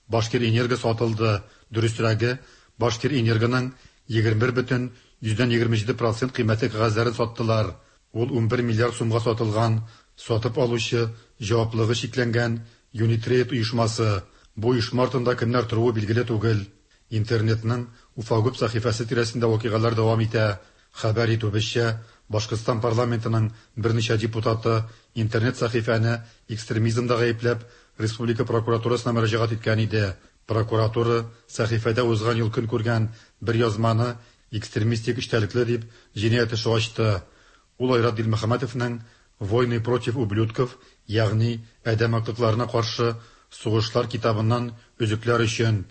Башкир Энерго сатылды. Дөресрәге, Башкир Энергоның егерме бер бөтен йөздән егерме җиде процент кыйммәтле кәгазьләрен саттылар. Ул унбер миллиард сумга сатылган. Сатып алучы җаваплылыгы чикләнгән Юнитрейд оешмасы. Бу оешма артында кемнәр торуы билгеле түгел. Интернетның Уфагуб сәхифәсе тирәсендә вакыйгалар дәвам итә. Хәбәр итүебезчә, Башкортстан парламентының берничә депутаты интернет сәхифәне экстремизмда гаепләп, республика прокуратурасына мөрәҗәгать иткән иде. Прокуратура сәхифәдә узган ел көн күргән бер язманы экстремистик эчтәлекле дип җинаять эше ачты. Ул Айрат Дилмөхәммәтовның «Войны против ублюдков», ягъни адәм актыкларына каршы сугышлар китабыннан өзекләр өчен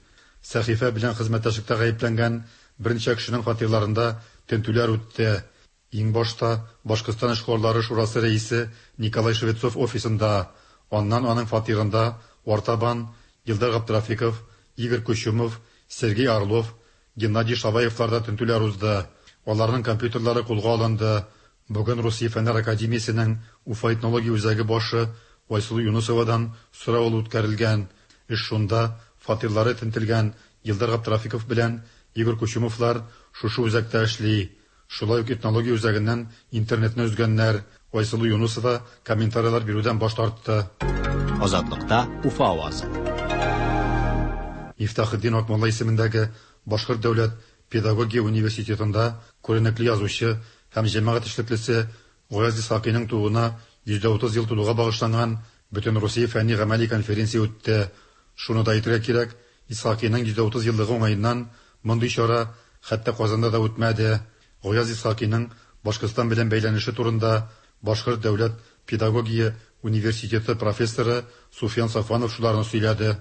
сәхифә белән хезмәттәшлектә гаепләнгән берничә кешенең фатирларында тентүләр үтте. Иң башта Башкортстан эшкуарлары шурасы рәисе Николай Швецов офисында, аннан аның фатирында артабан Илдар Габдрафиков, Игорь Кучумов, Сергей Орлов, Геннадий Шаваевларда тентүләр узды. Аларның компьютерлары кулга алынды. Бүген Русия Фәннәр академиясенең Уфа этнология үзәге башы Айсылу Юнусовадан сорау алу үткәрелгән. Эш шунда, фатирлары тентелгән Илдар Габдрафиков белән Игорь Кучумовлар шушы үзәктә эшли. Шулай ук этнология үзәгеннән интернетны өзгәннәр. Айсылу Юнусова комментарийлар бирүдән баш тартты. Азатлыкта Уфа авазы. Мифтахетдин Акмулла исемендәге Башкорт дәүләт педагогия университетында күренекле язучы һәм җәмәгать эшлеклесе Гаяз Исхакыйның тууына йөз дә утыз ел тулуга багышланган Бөтенрусия фәнни гамәли конференция үтте. Шуны да әйтергә кирәк, Исхакыйның йөз дә утыз еллыгы уңаеннан мондый чара хәтта Казанда да үтмәде. Гаяз Исхакыйның Башкортстан белән бәйләнеше турында Башкорт дәүләт педагогия университеты профессоры Суфиян Сафванов шуларны сөйләде.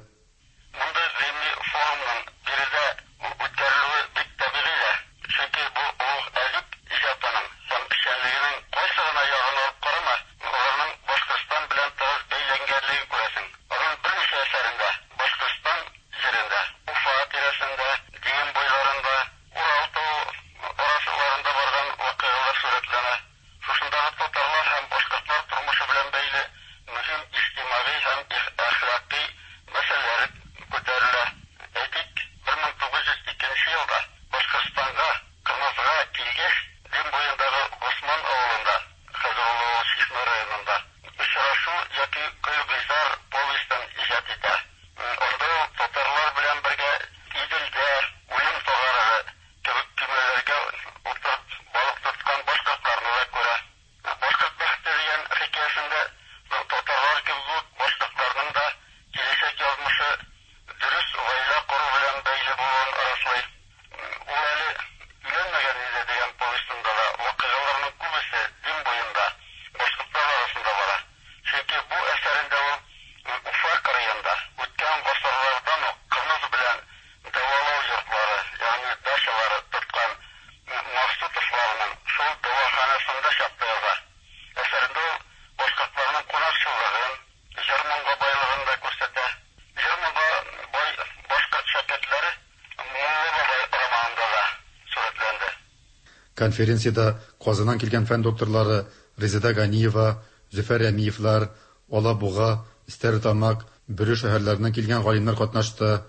Конференциядә Казаннан килгән фән докторлары Резеда Ганиева, Зөфәр Рәмиевлар, Алабуга, Стәрлетамак, Бөре шәһәрләреннән килгән галимнәр катнашты.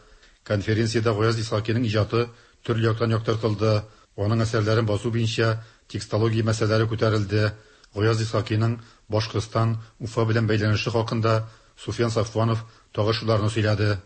Конференциядә Гаяз Исхакыйның иҗаты төрле яктан яктыртылды. Аның әсәрләрен басу буенча текстология мәсьәләләре күтәрелде. Гаяз Исхакыйның Башкортстан, Уфа белән бәйләнеше хакында Суфиян Сафванов тагы шуларны сөйләде.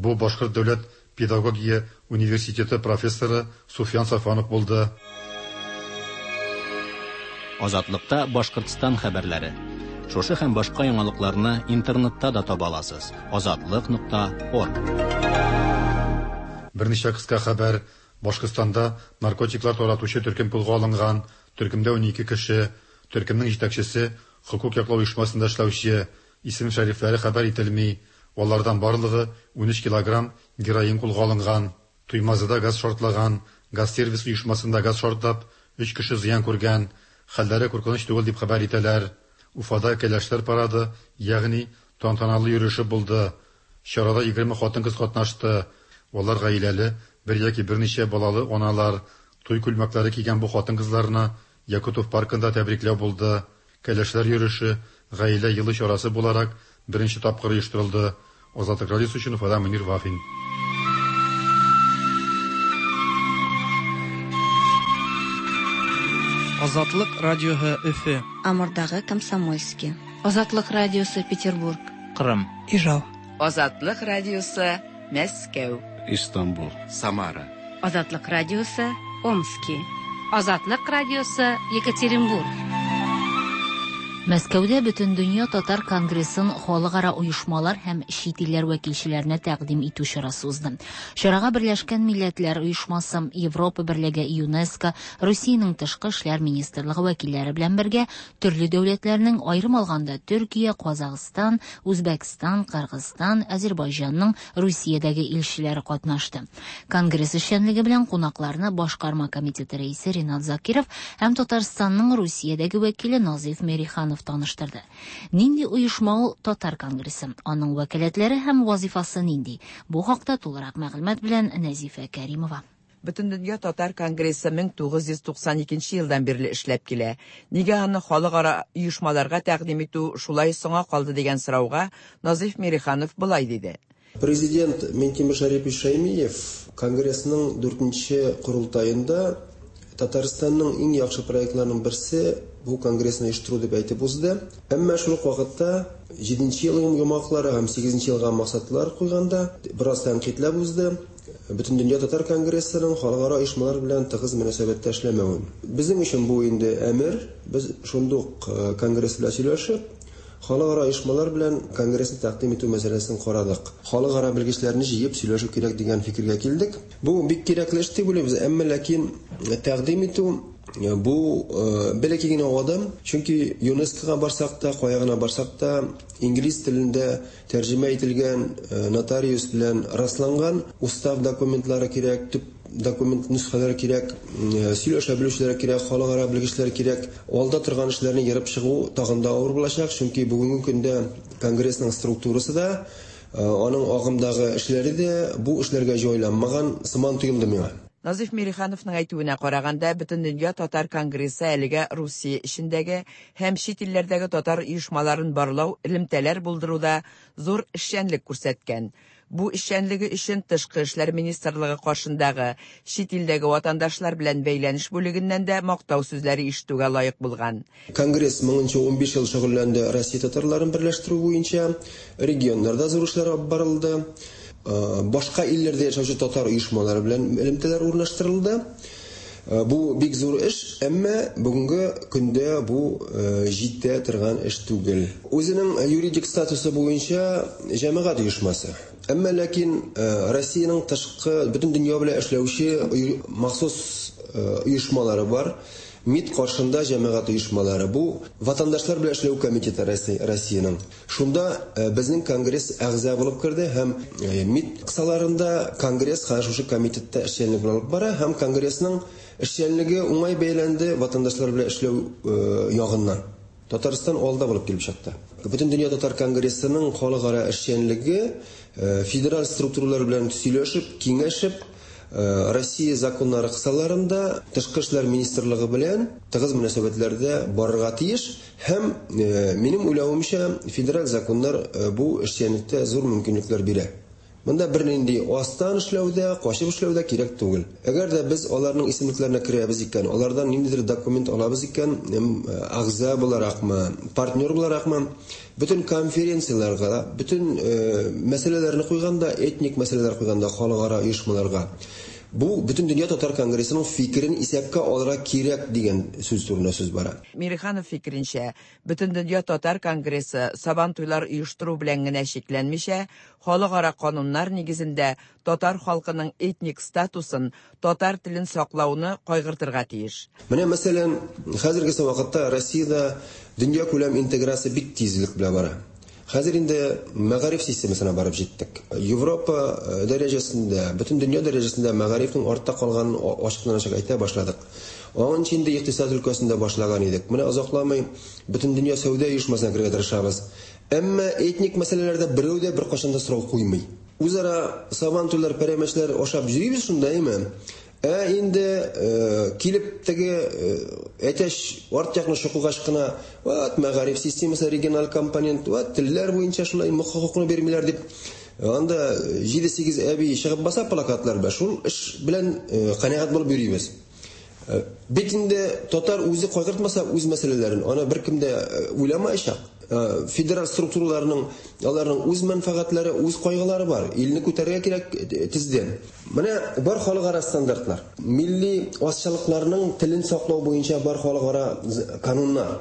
Бу Башкорт дәүләт педагогия университеты профессоры Суфиян Сафванов булды. Азатлыкта Башкортстан хәбәрләре. Шушы һәм башка яңалыкларны интернетта да таба аласыз. Азатлык нокта орг. Берничә кыска хәбәр. Башкортстанда наркотиклар таратучы төркем кулга алынган. Төркемдә унике кеше. Төркемнең җитәкчесе хокук яклау оешмасында эшләүче. Исем шәрифләре хәбәр ителми. Алардан барлыгы унөч килограмм героин кулга алынган. Туймазыда газ шартлаган. Газ сервис оешмасында газ шартлап, Өч кеше зыян күргән, хәлләре куркыныч түгел дип хәбәр итәләр. Уфада кәләшләр парады, ягъни тантаналы йөреше булды. Чарада егерме хатын-кыз катнашты. Алар гаиләле, бер яки берничә балалы аналар. Туй күлмәкләре кигән бу хатын-кызларны Якутов паркында тәбрикләү булды. Кәләшләр йөреше гаилә елы чарасы буларак беренче тапкыр оештырылды. Азатлык радиосы өчен Уфада Мөнир Вафин. Азатлык радиоһы Өфе. Амурдагы Комсомольский. Азатлык радиосы Петербург. Кырым. Ижау. Азатлык радиосы Мәскәү. Истанбул. Самара. Азатлык радиосы Омски. Азатлык радиосы Екатеринбург. Мәскәүдә Бөтендөнья татар конгрессын халыкара оешмалар һәм чит илләр вәкилчеләренә тәкъдим итү чарасы узды. Чарага Берләшкән Милләтләр Оешмасы, Европа Берлеге, ЮНЕСКО, Русиянең тышкы эшләр министрлыгы вәкилләре белән бергә төрле дәүләтләрнең, аерым алганда Төркия, Казахстан, Үзбәкстан, Кыргызстан, Азербайҗанның Русиядәге илчеләре катнашты. Конгресс эшчәнлеге белән кунакларны Башкарма комитеты рәисе Ринат Закиров һәм Татарстанның Русиядәге вәкиле Назиф Мериханов таныштырды. Нинди оешма ул Татар конгрессы? Аның вәкаләтләре һәм вазифасы нинди? Бу хакта тулырак мәгълүмат белән Нәзифә Кәримова. Бөтендөнья татар конгрессы мең тугыз йөз туксан икенче елдан бирле эшләп килә. Нигә аны халыкара оешмаларга тәкъдим итү шулай соңа калды дигән сорауга Назиф Мириханов болай диде. Президент Минтимер Шарипович Шаймиев конгрессның дүртенче корылтаенда Татарстанның иң яхшы проектларының берсе бу конгрессны оештыру дип әйтеп узды. Әмма шул ук вакытта җиденче елның йомгаклары һәм сигезенче елга максатлар куйганда бераз тәнкыйтьләп узды. Бөтендөнья татар конгрессының халыкара оешмалар белән тыгыз мөнәсәбәттә эшләмәвен. Безнең өчен бу инде әмер. Без шундук конгресс белән сөйләшеп, халыкара оешмалар белән конгрессны тәкъдим итү мәсьәләсен карадык. Халыкара белгечләрне җыеп сөйләшү кирәк дигән фикергә килдек. Бу бик кирәкле эш дип уйлыйбыз, әмма ләкин тәкъдим итү бу бәләкәй генә адым, чөнки ЮНЕСКОга барсак та, кая гына барсак та, инглиз телендә тәрҗемә ителгән, нотариус белән расланган устав документлары кирәк, төп документ нөсхәләре кирәк, сөйләшә белүчеләр кирәк, халыкара белгечләр кирәк. Алда торган эшләрне ерып чыгу тагын да авыр булачак, чөнки бүгенге көндә конгрессның структурасы да, аның агымдагы эшләре дә бу эшләргә җайланмаган сыман тоелды миңа. Назиф Мирихановның әйтүенә караганда, Бөтендөнья татар конгрессы әлегә Русия эчендәге һәм чит илләрдәге татар оешмаларын барлау, элемтәләр булдыруда зур эшчәнлек күрсәткән. Бу эшчәнлеге өчен Тышкы эшләр министрлыгы каршындагы чит илдәге ватандашлар белән бәйләнеш бүлегеннән дә мактау сүзләре ишетүгә лаек булган. Конгресс меңенче унбиш ел шөгыльләнде Россия татарларын берләштерү буенча, регионнарда зур эшләр алып барылды. Башка илләрдә яшәүче татар оешмалары белән элемтәләр урнаштырылды. Бу бик зур эш, әмма бүгенге көндә бу җитә торган эш түгел. Үзенең юридик статусы буенча җәмәгать оешмасы. Әмма ләкин Россиянең тышкы бөтен дөнья белән эшләүче махсус оешмалары бар. МИД каршында җәмәгать оешмалары. Бу ватандашлар белән эшләү комитеты Россиянең. Шунда безнең конгресс әгъза булып керде һәм МИД кысаларында конгресс шушы комитетта эшчәнлек алып бара һәм конгрессның эшчәнлеге уңай бәяләнде ватандашлар белән эшләү ягыннан. Татарстан алда булып килеп чыкты. Бөтендөнья татар конгрессының халыкара эшчәнлеге федераль структуралар белән сөйләшеп, киңәшеп, Россия законнары кысаларында Тышкы эшләр министрлыгы белән тыгыз мөнәсәбәтләрдә барырга тиеш һәм минем уйлавымча федераль законнар бу эшчәнлектә зур мөмкинлекләр бирә. Монда бернинди астан эшләүдә, качып эшләүдә кирәк түгел. Әгәр дә без аларның исемлекләренә керәбез икән, алардан ниндидер документ алабыз икән, әгъза буларакмы, партнер буларакмы, бөтен конференцияләргә, бөтен мәсьәләләрне куйганда, этник мәсьәләләр куйганда халыкара оешмаларга бу Бөтендөнья татар конгрессының фикерен исәпкә алырга кирәк дигән сүз турында сүз бара. Мириханов фикеренчә, Бөтендөнья татар конгрессы сабан туйлар оештыру белән генә чикләнмичә, халыкара кануннар нигезендә татар халкының этник статусын, татар телен саклауны кайгыртырга тиеш. Менә мәсәлән, хәзерге вакытта Россиядә дөнья күләм интеграция бик тизлек белән бара. Хәзер инде мәгариф системасына барып җиттек. Европа дәрәҗәсендә, бөтен дөнья дәрәҗәсендә мәгарифнең артта калганын ачыктан-ачык әйтә башладык. Аңынчы инде икътисад өлкәсендә башлаган идек. Менә озакламый Бөтендөнья сәүдә оешмасына керергә тырышабыз. Әмма этник мәсьәләләрдә берәү дә беркайчан да сорау куймый. Үзара сабантуйлар, пәрәмәчләр ашап йөрибез шунда, әйме? Ә инде килеп теге әтәч арт якны чокыгач кына, вот мәгариф системасы региональ компонент, вот телләр буенча шулай хокукны бирмиләр дип, анда җиде-сигез әби чыгып баса плакатлар белән, шул эш белән канәгать булып йөрибез. Бит инде татар үзе кайгыртмаса үз мәсьәләләрен, аны беркем дә уйламаячак. Федераль структураларның, аларның үз мәнфәгатьләре, үз кайгылары бар. Илне күтәрергә кирәк тиздән. Менә бар халыкара стандартлар. Милли азчылыкларның телен саклау буенча бар халыкара кануннар.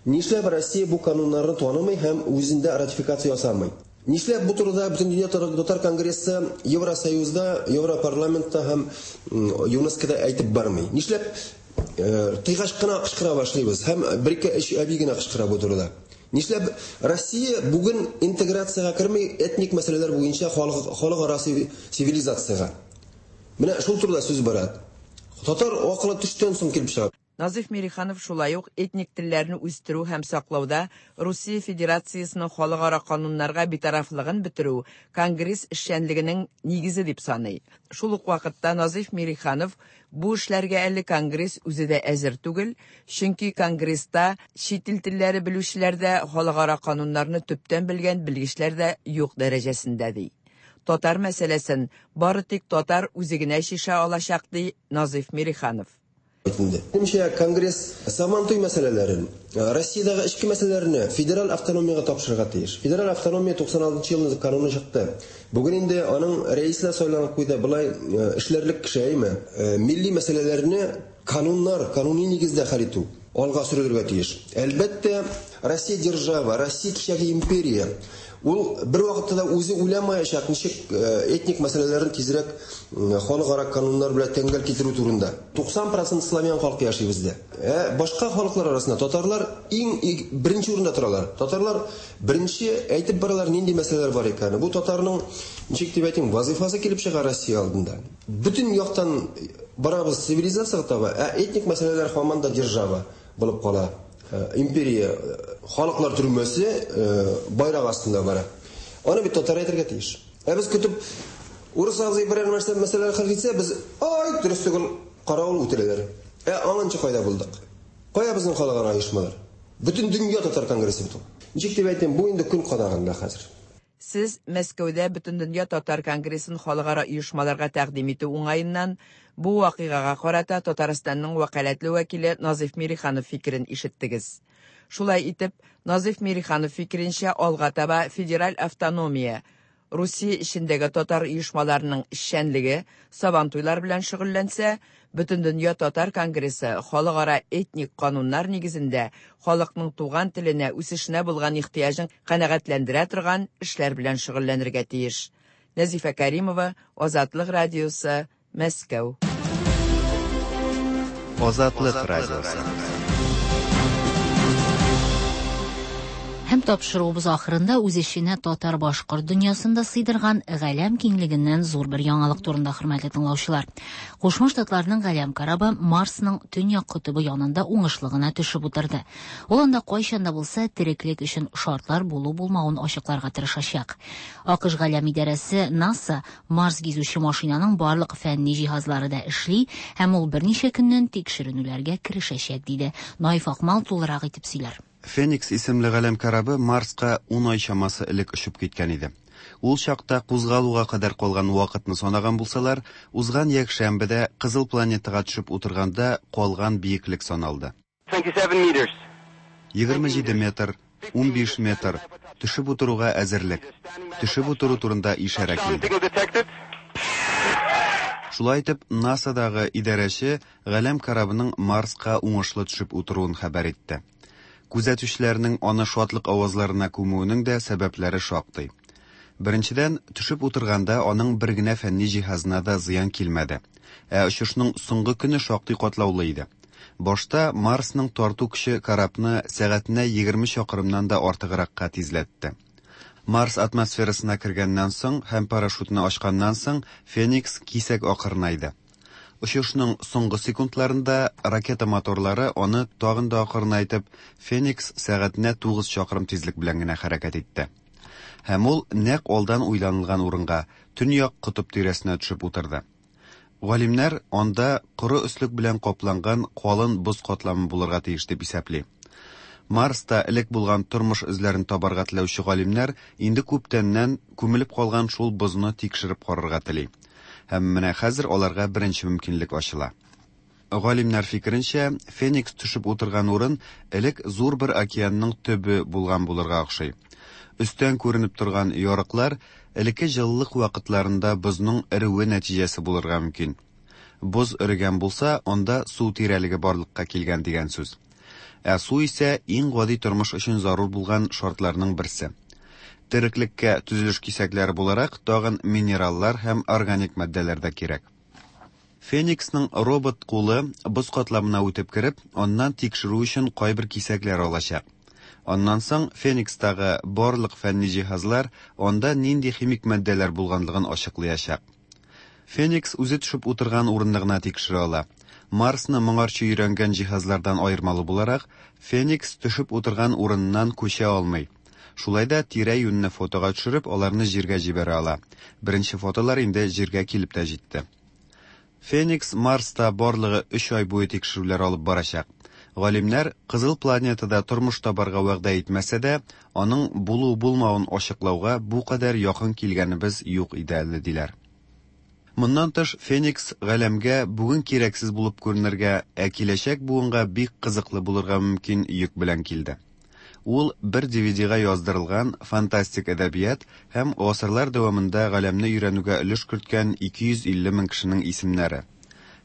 Нишләп Россия бу кануннарны танымый һәм үзендә ратификация ясамый? Нишләп бу турыда Бөтендөнья татар конгрессы Евросоюзда, Европарламентта һәм ЮНЕСКОда әйтеп бармый? Нишләп тыйгач кына кычкыра башлыйбыз һәм бер-ике өч әби генә кычкыра бу турыда? Нишләп Россия бүген интеграциягә керми этник мәсьәләләр буенча халыкара цивилизациягә? Менә шул турыда сүз бара. Татар акылы төштән соң килеп чыга. Назиф Мириханов шулай ук этник телләрне үстерү һәм саклауда Русия Федерациясенең халыкара кануннарга битарафлыгын бетерү Конгресс эшчәнлегенең нигезе дип саный. Шул ук вакытта Назиф Мириханов бу эшләргә әле Конгресс үзе дә әзер түгел, чөнки Конгресста чит ил телләре белүчеләр дә, халыкара кануннарны төптән белгән белгечләр дә юк дәрәҗәсендә ди. Татар мәсьәләсен бары тик татар үзе генә чишә алачак ди Назиф Мириханов. Минемчә, Конгресс Сабантуй мәсьәләләрен, Россиядәге эчке мәсьәләләрне федераль автономиягә тапшырырга тиеш. Федераль автономия туксан алтынчы елны кануны чыкты. Бүген инде аның рәисе дә сайланып куйды. Болай эшләрлек кеше, әйме? Милли мәсьәләләрне кануннар, кануни нигездә хәл итү алга сөрелергә тиеш. Әлбәттә, Россия держава, Россия кичәге империя. Ул бер вакытта да үзе уйламаячак, ничек этник мәсьәләләрен тизрәк халыкара кануннар белән тәңгәл китерү турында. туксан процент славян халкы яши бездә. Ә башка халыклар арасында татарлар иң беренче урында торалар. Татарлар беренче әйтеп баралар нинди мәсьәләләр бар икәнен. Бу татарның ничек дип әйтим, вазифасы килеп чыга Россия алдында. Бөтен яктан барабыз цивилизациягә таба, ә этник мәсьәләләр һаман да держава булып кала. Империя халыклар төрмәсе байрак астында бара. Аны бит татар әйтергә тиеш. Ә без көтеп урыс абзый берәр нәрсә мәсьәләләр хәл итсә, без ай дөрес түгел каравыл үтерәләр. Ә аңынчы кайда булдык? Кая безнең халыкара оешмалар? Бөтен дөнья татар конгрессы бит ул. Ничек дип әйтәм, бу инде көн кадагында хәзер. Сез Мәскәүдә Бөтендөнья татар конгрессын халыкара оешмаларга тәкъдим итү уңаеннан бу вакыйгага карата Татарстанның вәкаләтле вәкиле Назиф Мириханов фикерен ишеттегез. Шулай итеп, Назиф Мириханов фикеренчә, алга таба федераль автономия Русия эчендәге татар оешмаларының эшчәнлеге сабантуйлар белән шөгыльләнсә, Бөтендөнья татар конгрессы халыкара этник кануннар нигезендә халыкның туган теленә үсешенә булган ихтыяҗын канәгатьләндерә торган эшләр белән шөгыльләнергә тиеш. Нәзифә Каримова, Азатлык радиосы, Мәскәү. Азатлык радиосы. Һәм тапшыруыбыз ахырында үз эченә татар-башкорт дөньясында сыйдырган галәм киңлегеннән зур бер яңалык турында, хөрмәтле тыңлаучылар. Кушма Штатларның галәм корабы Марсның төньяк котыбы янында уңышлы гына төшеп утырды. Ул анда кайчан да булса тереклек өчен шартлар булу-булмавын ачыкларга тырышачак. АКШ галәм идарәсе НАСА Марс гизүче машинаның барлык фәнни җиһазлары да эшли һәм ул берничә көннән тикшеренүләргә керешәчәк, диде. Наиф Акмал тулырак итеп сөйләр. Феникс исемле галәм корабы Марска ун ай чамасы элек очып киткән иде. Ул чакта кузгалуга кадәр калган вакытны санаган булсалар, узган якшәмбедә Кызыл планетага төшеп утырганда калган биеклек саналды. егерме җиде метр, унбиш метр төшеп утыруга әзерлек. Төшеп утыру турында ишарә килде. Шулай итеп, НАСАдагы идарәче галәм корабының Марска уңышлы төшеп утыруын хәбәр итте. Күзәтүчеләрнең аны шатлык авазларына күмүенең дә сәбәпләре шактый. Беренчедән, төшеп утырганда аның бер генә фәнни җиһазына да зыян килмәде. Ә очышның соңгы көне шактый катлаулы иде. Башта Марсның тарту көче корабны сәгатенә егерме чакрымнан да артыгракка тизләтте. Марс атмосферасына кергәннән соң һәм парашютны ачканнан соң Феникс кисәк акырынайды. Очышның соңгы секундларында ракета моторлары аны тагын да акрынайтып, Феникс сәгатенә тугыз чакрым тизлек белән генә хәрәкәт итте. Һәм ул нәкъ алдан уйланылган урынга, төньяк котып тирәсенә төшеп утырды. Галимнәр анда коры өслек белән капланган калын боз катламы булырга тиеш дип исәпли. Марста элек булган тормыш эзләрен табарга теләүче галимнәр инде күптәннән күмелеп калган шул бозны тикшереп карарга тели. Һәм менә хәзер аларга беренче мөмкинлек ачыла. Галимнәр фикеренчә, Феникс төшеп утырган урын элек зур бер океанның төбе булган булырга охшый. Өстән күренеп торган ярыклар элекке җылылык вакытларында бозның эреүе нәтиҗәсе булырга мөмкин. Боз эрегән булса, анда су тирәлеге барлыкка килгән дигән сүз. Ә су исә иң гади тормыш өчен зарур булган шартларның берсе. Тереклеккә төзелеш кисәкләре буларак тагын минераллар һәм органик матдәләр дә кирәк. Фениксның робот кулы боз катламына үтеп кереп, аннан тикшерү өчен кайбер кисәкләр алачак. Аннан соң Феникстагы барлык фәнни җиһазлар анда нинди химик матдәләр булганлыгын ачыклаячак. Феникс үзе төшеп утырган урынны гына тикшерә ала. Марсны моңарчы өйрәнгән җиһазлардан аермалы буларак, Феникс төшеп утырган урыннан күчә алмый. Шулай да тирә-юньне фотога төшереп, аларны җиргә җибәрә ала. Беренче фотолар инде җиргә килеп тә җитте. Феникс Марста барлыгы өч ай буе тикшерүләр алып барачак. Галимнәр Кызыл планетада тормыш табарга вәгъдә итмәсә дә, аның булу-булмавын ачыклауга бу кадәр якын килгәнебез юк иде әле, диләр. Моннан тыш, Феникс галәмгә бүген кирәксез булып күренергә, ә киләчәк буынга бик кызыклы булырга мөмкин йөк белән килде. Ул бер ди ви ди-га яздырылган фантастик әдәбият һәм гасырлар дәвамында галәмне өйрәнүгә өлеш керткән ике йөз илле мең кешенең исемнәре.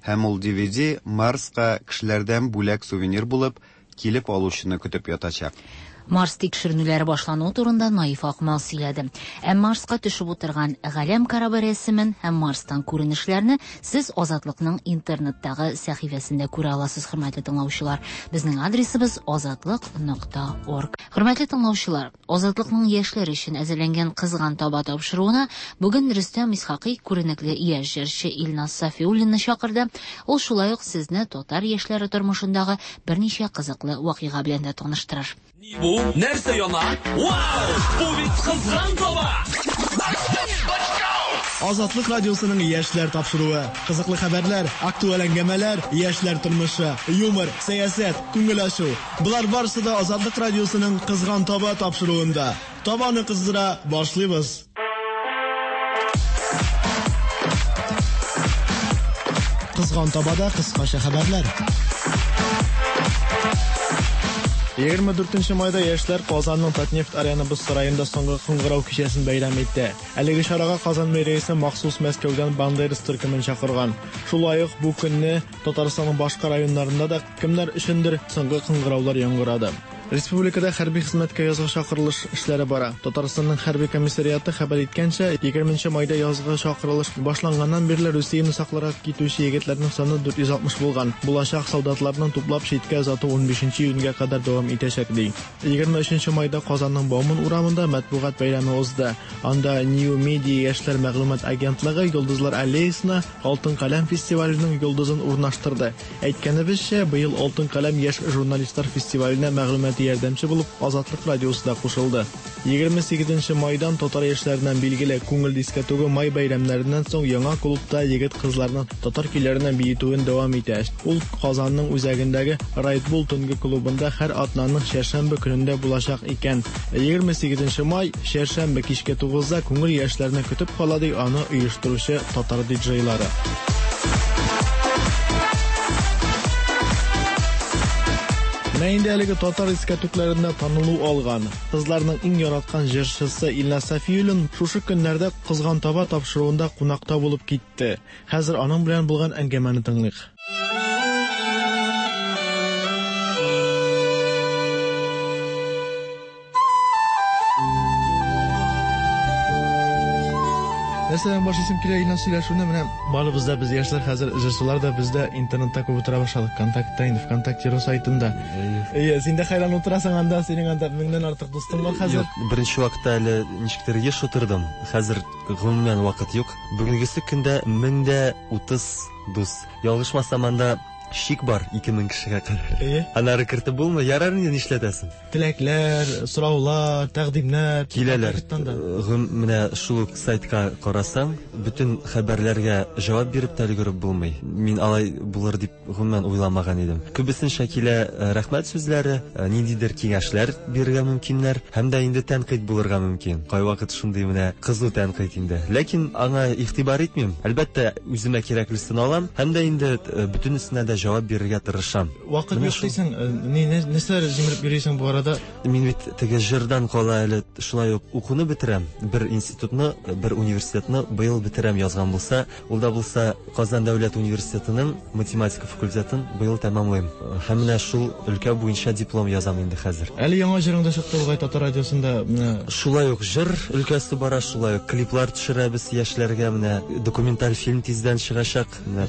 Һәм ул ди ви ди Марска кешеләрдән бүләк сувенир булып килеп алучыны көтеп ятачак. Марс тикшеренүләре башлануы турында Наиф Акмал сөйләде. Ә Марска төшеп утырган галәм корабы рәсемен һәм Марстан күренешләрне сез Азатлыкның интернеттагы сәхифәсендә күрә аласыз, хөрмәтле тыңлаучылар. Безнең адресыбыз азатлык нокта орг. Хөрмәтле тыңлаучылар, Азатлыкның яшьләр өчен әзерләнгән Кызган таба тапшыруына бүген Рөстәм Исхакый күренекле яшь җырчы Илназ Сафиуллинны чакырды. Ул шулай ук сезне татар яшьләре тормышындагы берничә кызыклы вакыйга белән дә таныштырыр. Бу нәрсә яна? Вау! Бу бит кызган таба! Азатлык радиосының яшьләр тапшыруы. Кызыклы хәбәрләр, актуаль әңгәмәләр, яшьләр тормышы, юмор, сәясәт, күңел ачу. Болар барысы да Азатлык радиосының Кызган таба тапшыруында. Табаны кыздыра башлыйбыз. Кызган табада кыскача хәбәрләр. Егерме дүртенче майда яшьләр Казанның Татнефть Арена боз сараенда соңгы кыңгырау кичәсен бәйрәм итте. Әлеге чарага Казан мэриясе махсус Мәскәүдән Бандерас төркемен чакырган. Шулай ук бу көнне Татарстанның башка районнарында да кемнәр өчендер соңгы кыңгыраулар яңгырады. Республикада хәрби хезмәткә язгы чакырылыш эшләре бара. Татарстанның хәрби комиссариаты хәбәр иткәнчә, егерменче майда язгы чакырылыш башланганнан бирле Русияне сакларга китүче егетләрнең саны дүрт йөз алтмыш булган. Булачак солдатларның туплап читкә озату унбишенче июньгә кадәр дәвам итәчәк, ди. Егерме өченче майда Казанның Бауман урамында матбугат бәйрәме узды. Анда New Media яшьләр мәгълүмат агентлыгы Йолдызлар аллеясына Алтын каләм фестиваленең йолдызын урнаштырды. Әйткәнебезчә, быел Алтын каләм яшь журналистлар фестиваленә мәгълүмат ярдәмче булып Азатлык радиосы да кушылды. Егерме сигезенче майдан татар яшьләреннән билгеле күңел дискотегы май бәйрәмнәреннән соң яңа клубта егет-кызларның татар көйләренә биетүен дәвам итә. Ул Казанның үзәгендәге Red Bull төнге клубында һәр атнаның чәршәмбе көнендә булачак икән. Егерме сигезенче май чәршәмбе кичке тугызда күңел яшьләрне көтеп кала, ди аны оештыручы татар диджейлары. Менә инде әлеге татар дискотекларында танылу алган, кызларның иң яраткан җырчысы Илназ Сафиуллин шушы көннәрдә Кызган таба тапшыруында кунакта булып китте. Хәзер аның белән булган әңгәмәне тыңлыйк. Нәрсәдән башлыйсым килә, Илназ, сөйләшүне? Менә барыбыз да, без яшьләр хәзер җырчылар да, без дә интернетта күп утыра башладык, Контактта инде, ВКонтакте сайтында. Әйе, син дә хәйран утырасың анда, синең анда меңнән артык дустың бар хәзер. Юк, беренче вакытта әле ничектер еш утырдым. Хәзер гомумән вакыт юк. Бүгенгесе көндә мең дә утыз дус. Ялгышмасам, анда шик бар ике мең кешегә кадәр. Әйе. Аннары кертеп булмый, ярар инде, нишләтәсең? Теләкләр, сораулар, тәкъдимнәр киләләр. Менә шул ук сайтка карасаң, бөтен хәбәрләргә җавап биреп тә өлгереп булмый. Мин алай булыр дип гомумән уйламаган идем. Күбесенчә килә рәхмәт сүзләре, ниндидер киңәшләр бирергә мөмкиннәр, һәм дә инде тәнкыйть булырга мөмкин. Кайвакыт шундый менә кызу тәнкыйть инде. Ләкин аңа игътибар итмим. Әлбәттә, үземә кирәклесен алам, һәм дә инде бөтенесенә дә җавап бирергә тырышам. Вакыт юк дисең, нәрсәләр җимереп йөрисең бу арада? Мин бит теге җырдан кала әле шулай ук укуны бетерәм. Бер институтны, бер университетны быел бетерәм язган булса, ул да булса Казан дәүләт университетының математика факультетын быел тәмамлыйм. Һәм менә шул өлкә буенча диплом язам инде хәзер. Әле яңа җырың да чыкты бугай Татар радиосында. Менә шулай ук җыр өлкәсе бара, шулай ук клиплар төшерәбез яшьләргә, менә документаль фильм тиздән чыгачак. Менә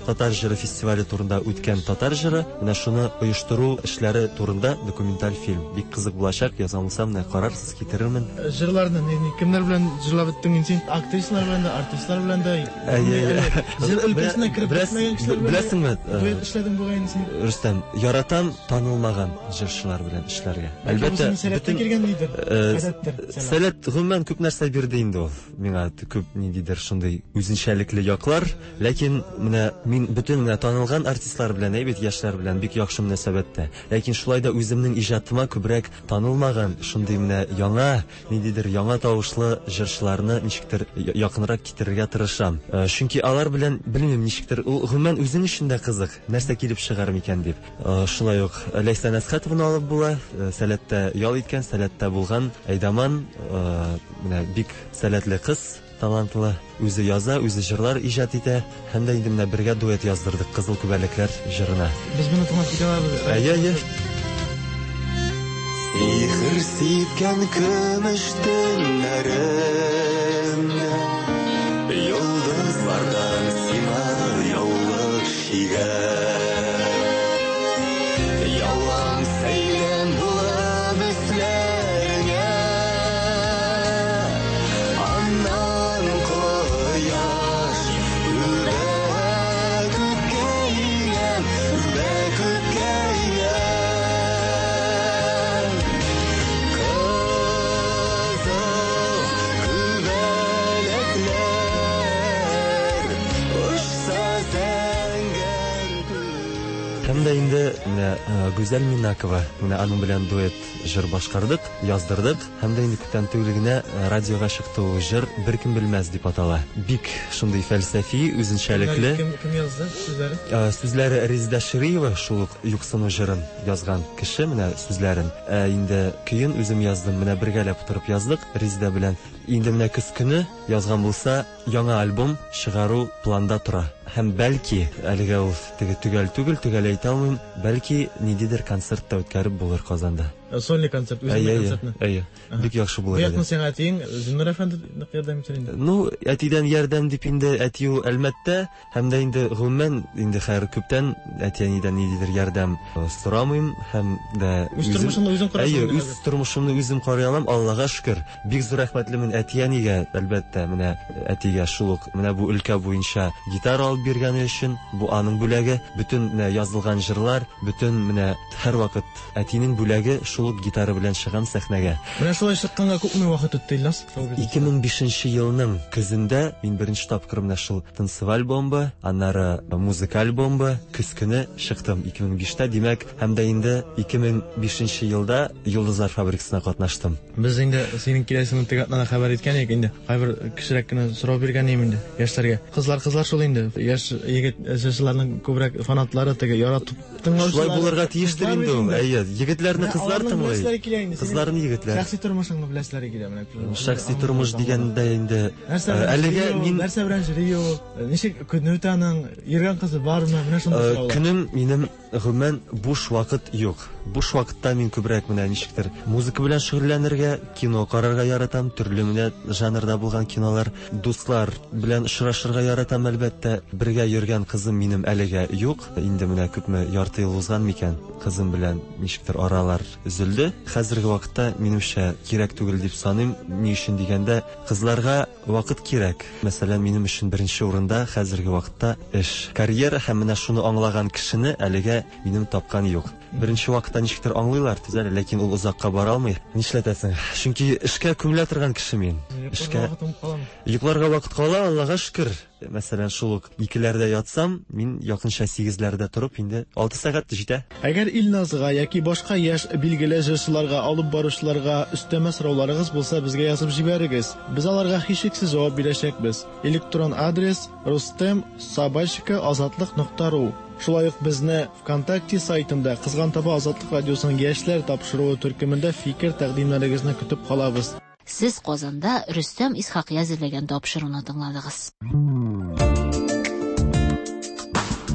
Татар җыры фестивале турында үткән татар җыры, менә шуны оештыру эшләре турында документаль фильм. Бик кызык булачак, язган булсам, менә карарсыз, китерермен. Җырларны кемнәр белән җырлап беттең инде син? Актрисалар белән дә, артистлар белән дә. Җыр өлкәсенә кереп китмәгән кешеләр белән. Беләсеңме? Дуэт эшләдең бугай инде син. Рөстәм, яратам танылмаган җырчылар белән эшләргә. Әлбәттә, бөтен килгән нидер? Гадәттер. Сәләт гомумән күп нәрсә бирде инде ул. Миңа күп ниндидер шундый үзенчәлекле яклар, ләкин менә мин бөтен менә танылган артистлар белән, әйбәт яшьләр белән бик яхшы мөнәсәбәттә. Ләкин шулай да үземнең иҗатыма күбрәк танылмаган, шундый менә яңа, ниндидер яңа тавышлы җырчыларны ничектер якынрак китерергә тырышам. Чөнки алар белән белмим ничектер, ул гомумән үзең өчен дә кызык, нәрсә килеп чыгар микән дип. Шулай ук Ләйсән Әсхәтованы алып була, сәләттә ял иткән, сәләттә булган Әйдаман, менә бик сәләтле кыз, талантлы, үзе яза, үзе җырлар иҗат итә, һәм дә инде менә бергә дуэт яздырдык Кызыл күбәләкләр җырына. Без моны тыңлап китә алабыз. Әйе, әйе. Сихер сипкән көмеш төннәрем, йолдызлардан сиңа яулык чигәм. Ялан сәйлән булып өсләреңә, аннан кояш үбә күккә иңәм, үбә күккә иңәм. Кызыл күбәләкләр очса зәңгәр күк. Һәм дә инде менә Гүзәл Минакова, менә аның белән дуэт җыр башкардык, яздырдык, һәм дә инде күптән түгел генә радиога чыкты ул җыр, Беркем белмәс дип атала. Бик шундый фәлсәфи, үзенчәлекле. Кем, кем язды сүзләре? Сүзләре Резеда Шириева, шул ук Юксыну җырын язган кеше, менә сүзләрен. Ә инде көен үзем яздым, менә бергәләп утырып яздык Резеда белән. Инде менә көз көне язган булса, яңа альбом чыгару планда тора. Һәм бәлки, әлегә ул теге төгәл түгел, төгәл әйтә алмыйм, бәлки ниндидер концерт та үткәреп булыр Казанда. Сольный концерт, үзеңнең концертны. Әйе, бик яхшы булыр иде. Бу якны сиңа әтиең Зиннур әфәнде нык ярдәм итәр инде. Ну, әтидән ярдәм дип инде әти ул әлмәттә, һәм дә инде гомумән инде хәер күптән әти-әнидән ниндидер ярдәм сорамыйм, һәм дә үз тормышымны үзем карыйм. Әйе, үз тормышымны үзем карый алам, Аллага шөкер. Бик зур рәхмәтлемен әти-әнигә, әлбәттә, менә әтигә шул ук менә бу өлкә буенча гитара алып биргәне өчен, бу аның бүләге, бөтен менә язылган җырлар, бөтен менә һәрвакыт әтинең бүләге шул ук гитара белән чыгам сәхнәгә. Менә шулай чыкканга күпме вакыт үтте, Ильназ? ике мең бишенче елның көзендә мин беренче тапкыр менә шул танцеваль бомба, аннары музыкаль бомба көз көне чыктым ике мең биштә, димәк, һәм дә инде ике мең бишенче елда Йолдызлар фабрикасына катнаштым. Без инде синең киләсеңне теге атнада хәбәр иткән идек инде. Кайбер кешерәк кенә сорау биргән идем инде яшьләргә. Кызлар, кызлар шул инде. Яшь егет җырчыларның күбрәк фанатлары теге яратып тыңлаучылар. Шулай булырга тиештер инде ул. Әйе, егетләрне кызлар тыңлый. Кызларны егетләр. Шәхси тормышыңны беләселәре килә менә. Шәхси тормыш дигәндә инде әлегә мин нәрсә белән йөри ул? Ничек көне үтә аның? Йөргән кызы бармы? Менә шундый сораулар. Көнем минем гомумән буш вакыт юк. Буш вакытта мин күбрәк менә ничектер музыка белән шөгыльләнергә, кино карарга яратам, төрле менә жанрда булган кинолар, дуслар белән очрашырга яратам, әлбәттә. Бергә йөргән кызым минем әлегә юк. Инде менә күпме, ярты ел узган микән, кызым белән ничектер аралар өзелде. Хәзерге вакытта минемчә кирәк түгел дип саныйм. Ни өчен дигәндә, кызларга вакыт кирәк. Мәсәлән, минем өчен беренче урында хәзерге вакытта эш, карьера, һәм менә шуны аңлаган кешене әлегә минем тапкан юк. Беренче вакытта ничектер аңлыйлар, төзәлә, ләкин ул озакка бара алмый. Нишләтәсең? Чөнки эшкә күмелә торган кеше мин. Эшкә йокларга вакыт кала, Аллага шөкер. Мәсәлән, шул ук икеләрдә ятсам, мин якынча сигезләрдә торып, инде алты сәгать җитә. Әгәр Илназга яки башка яшь билгеле җырчыларга, алып баручыларга өстәмә сорауларыгыз булса, безгә язып җибәрегез. Без аларга һичшиксез җавап бирәчәкбез. Электрон адрес рустем собачка азатлык нокта ру. Шулай ук безне ВКонтакте сайтында Кызган таба Азатлык радиосының яшьләр тапшыруы төркемендә фикер тәкъдимнәрегезне көтеп калабыз. Сез Казанда Рөстәм Исхакый әзерләгән тапшыруны тыңладыгыз.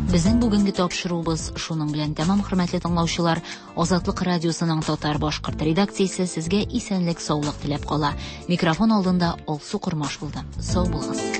Безнең бүгенге тапшыруыбыз шуның белән тәмам, хөрмәтле тыңлаучылар. Азатлык радиосының татар-башкорт редакциясе сезгә исәнлек, саулык теләп кала. Микрофон алдында Алсу Кормаш булды. Сау булыгыз.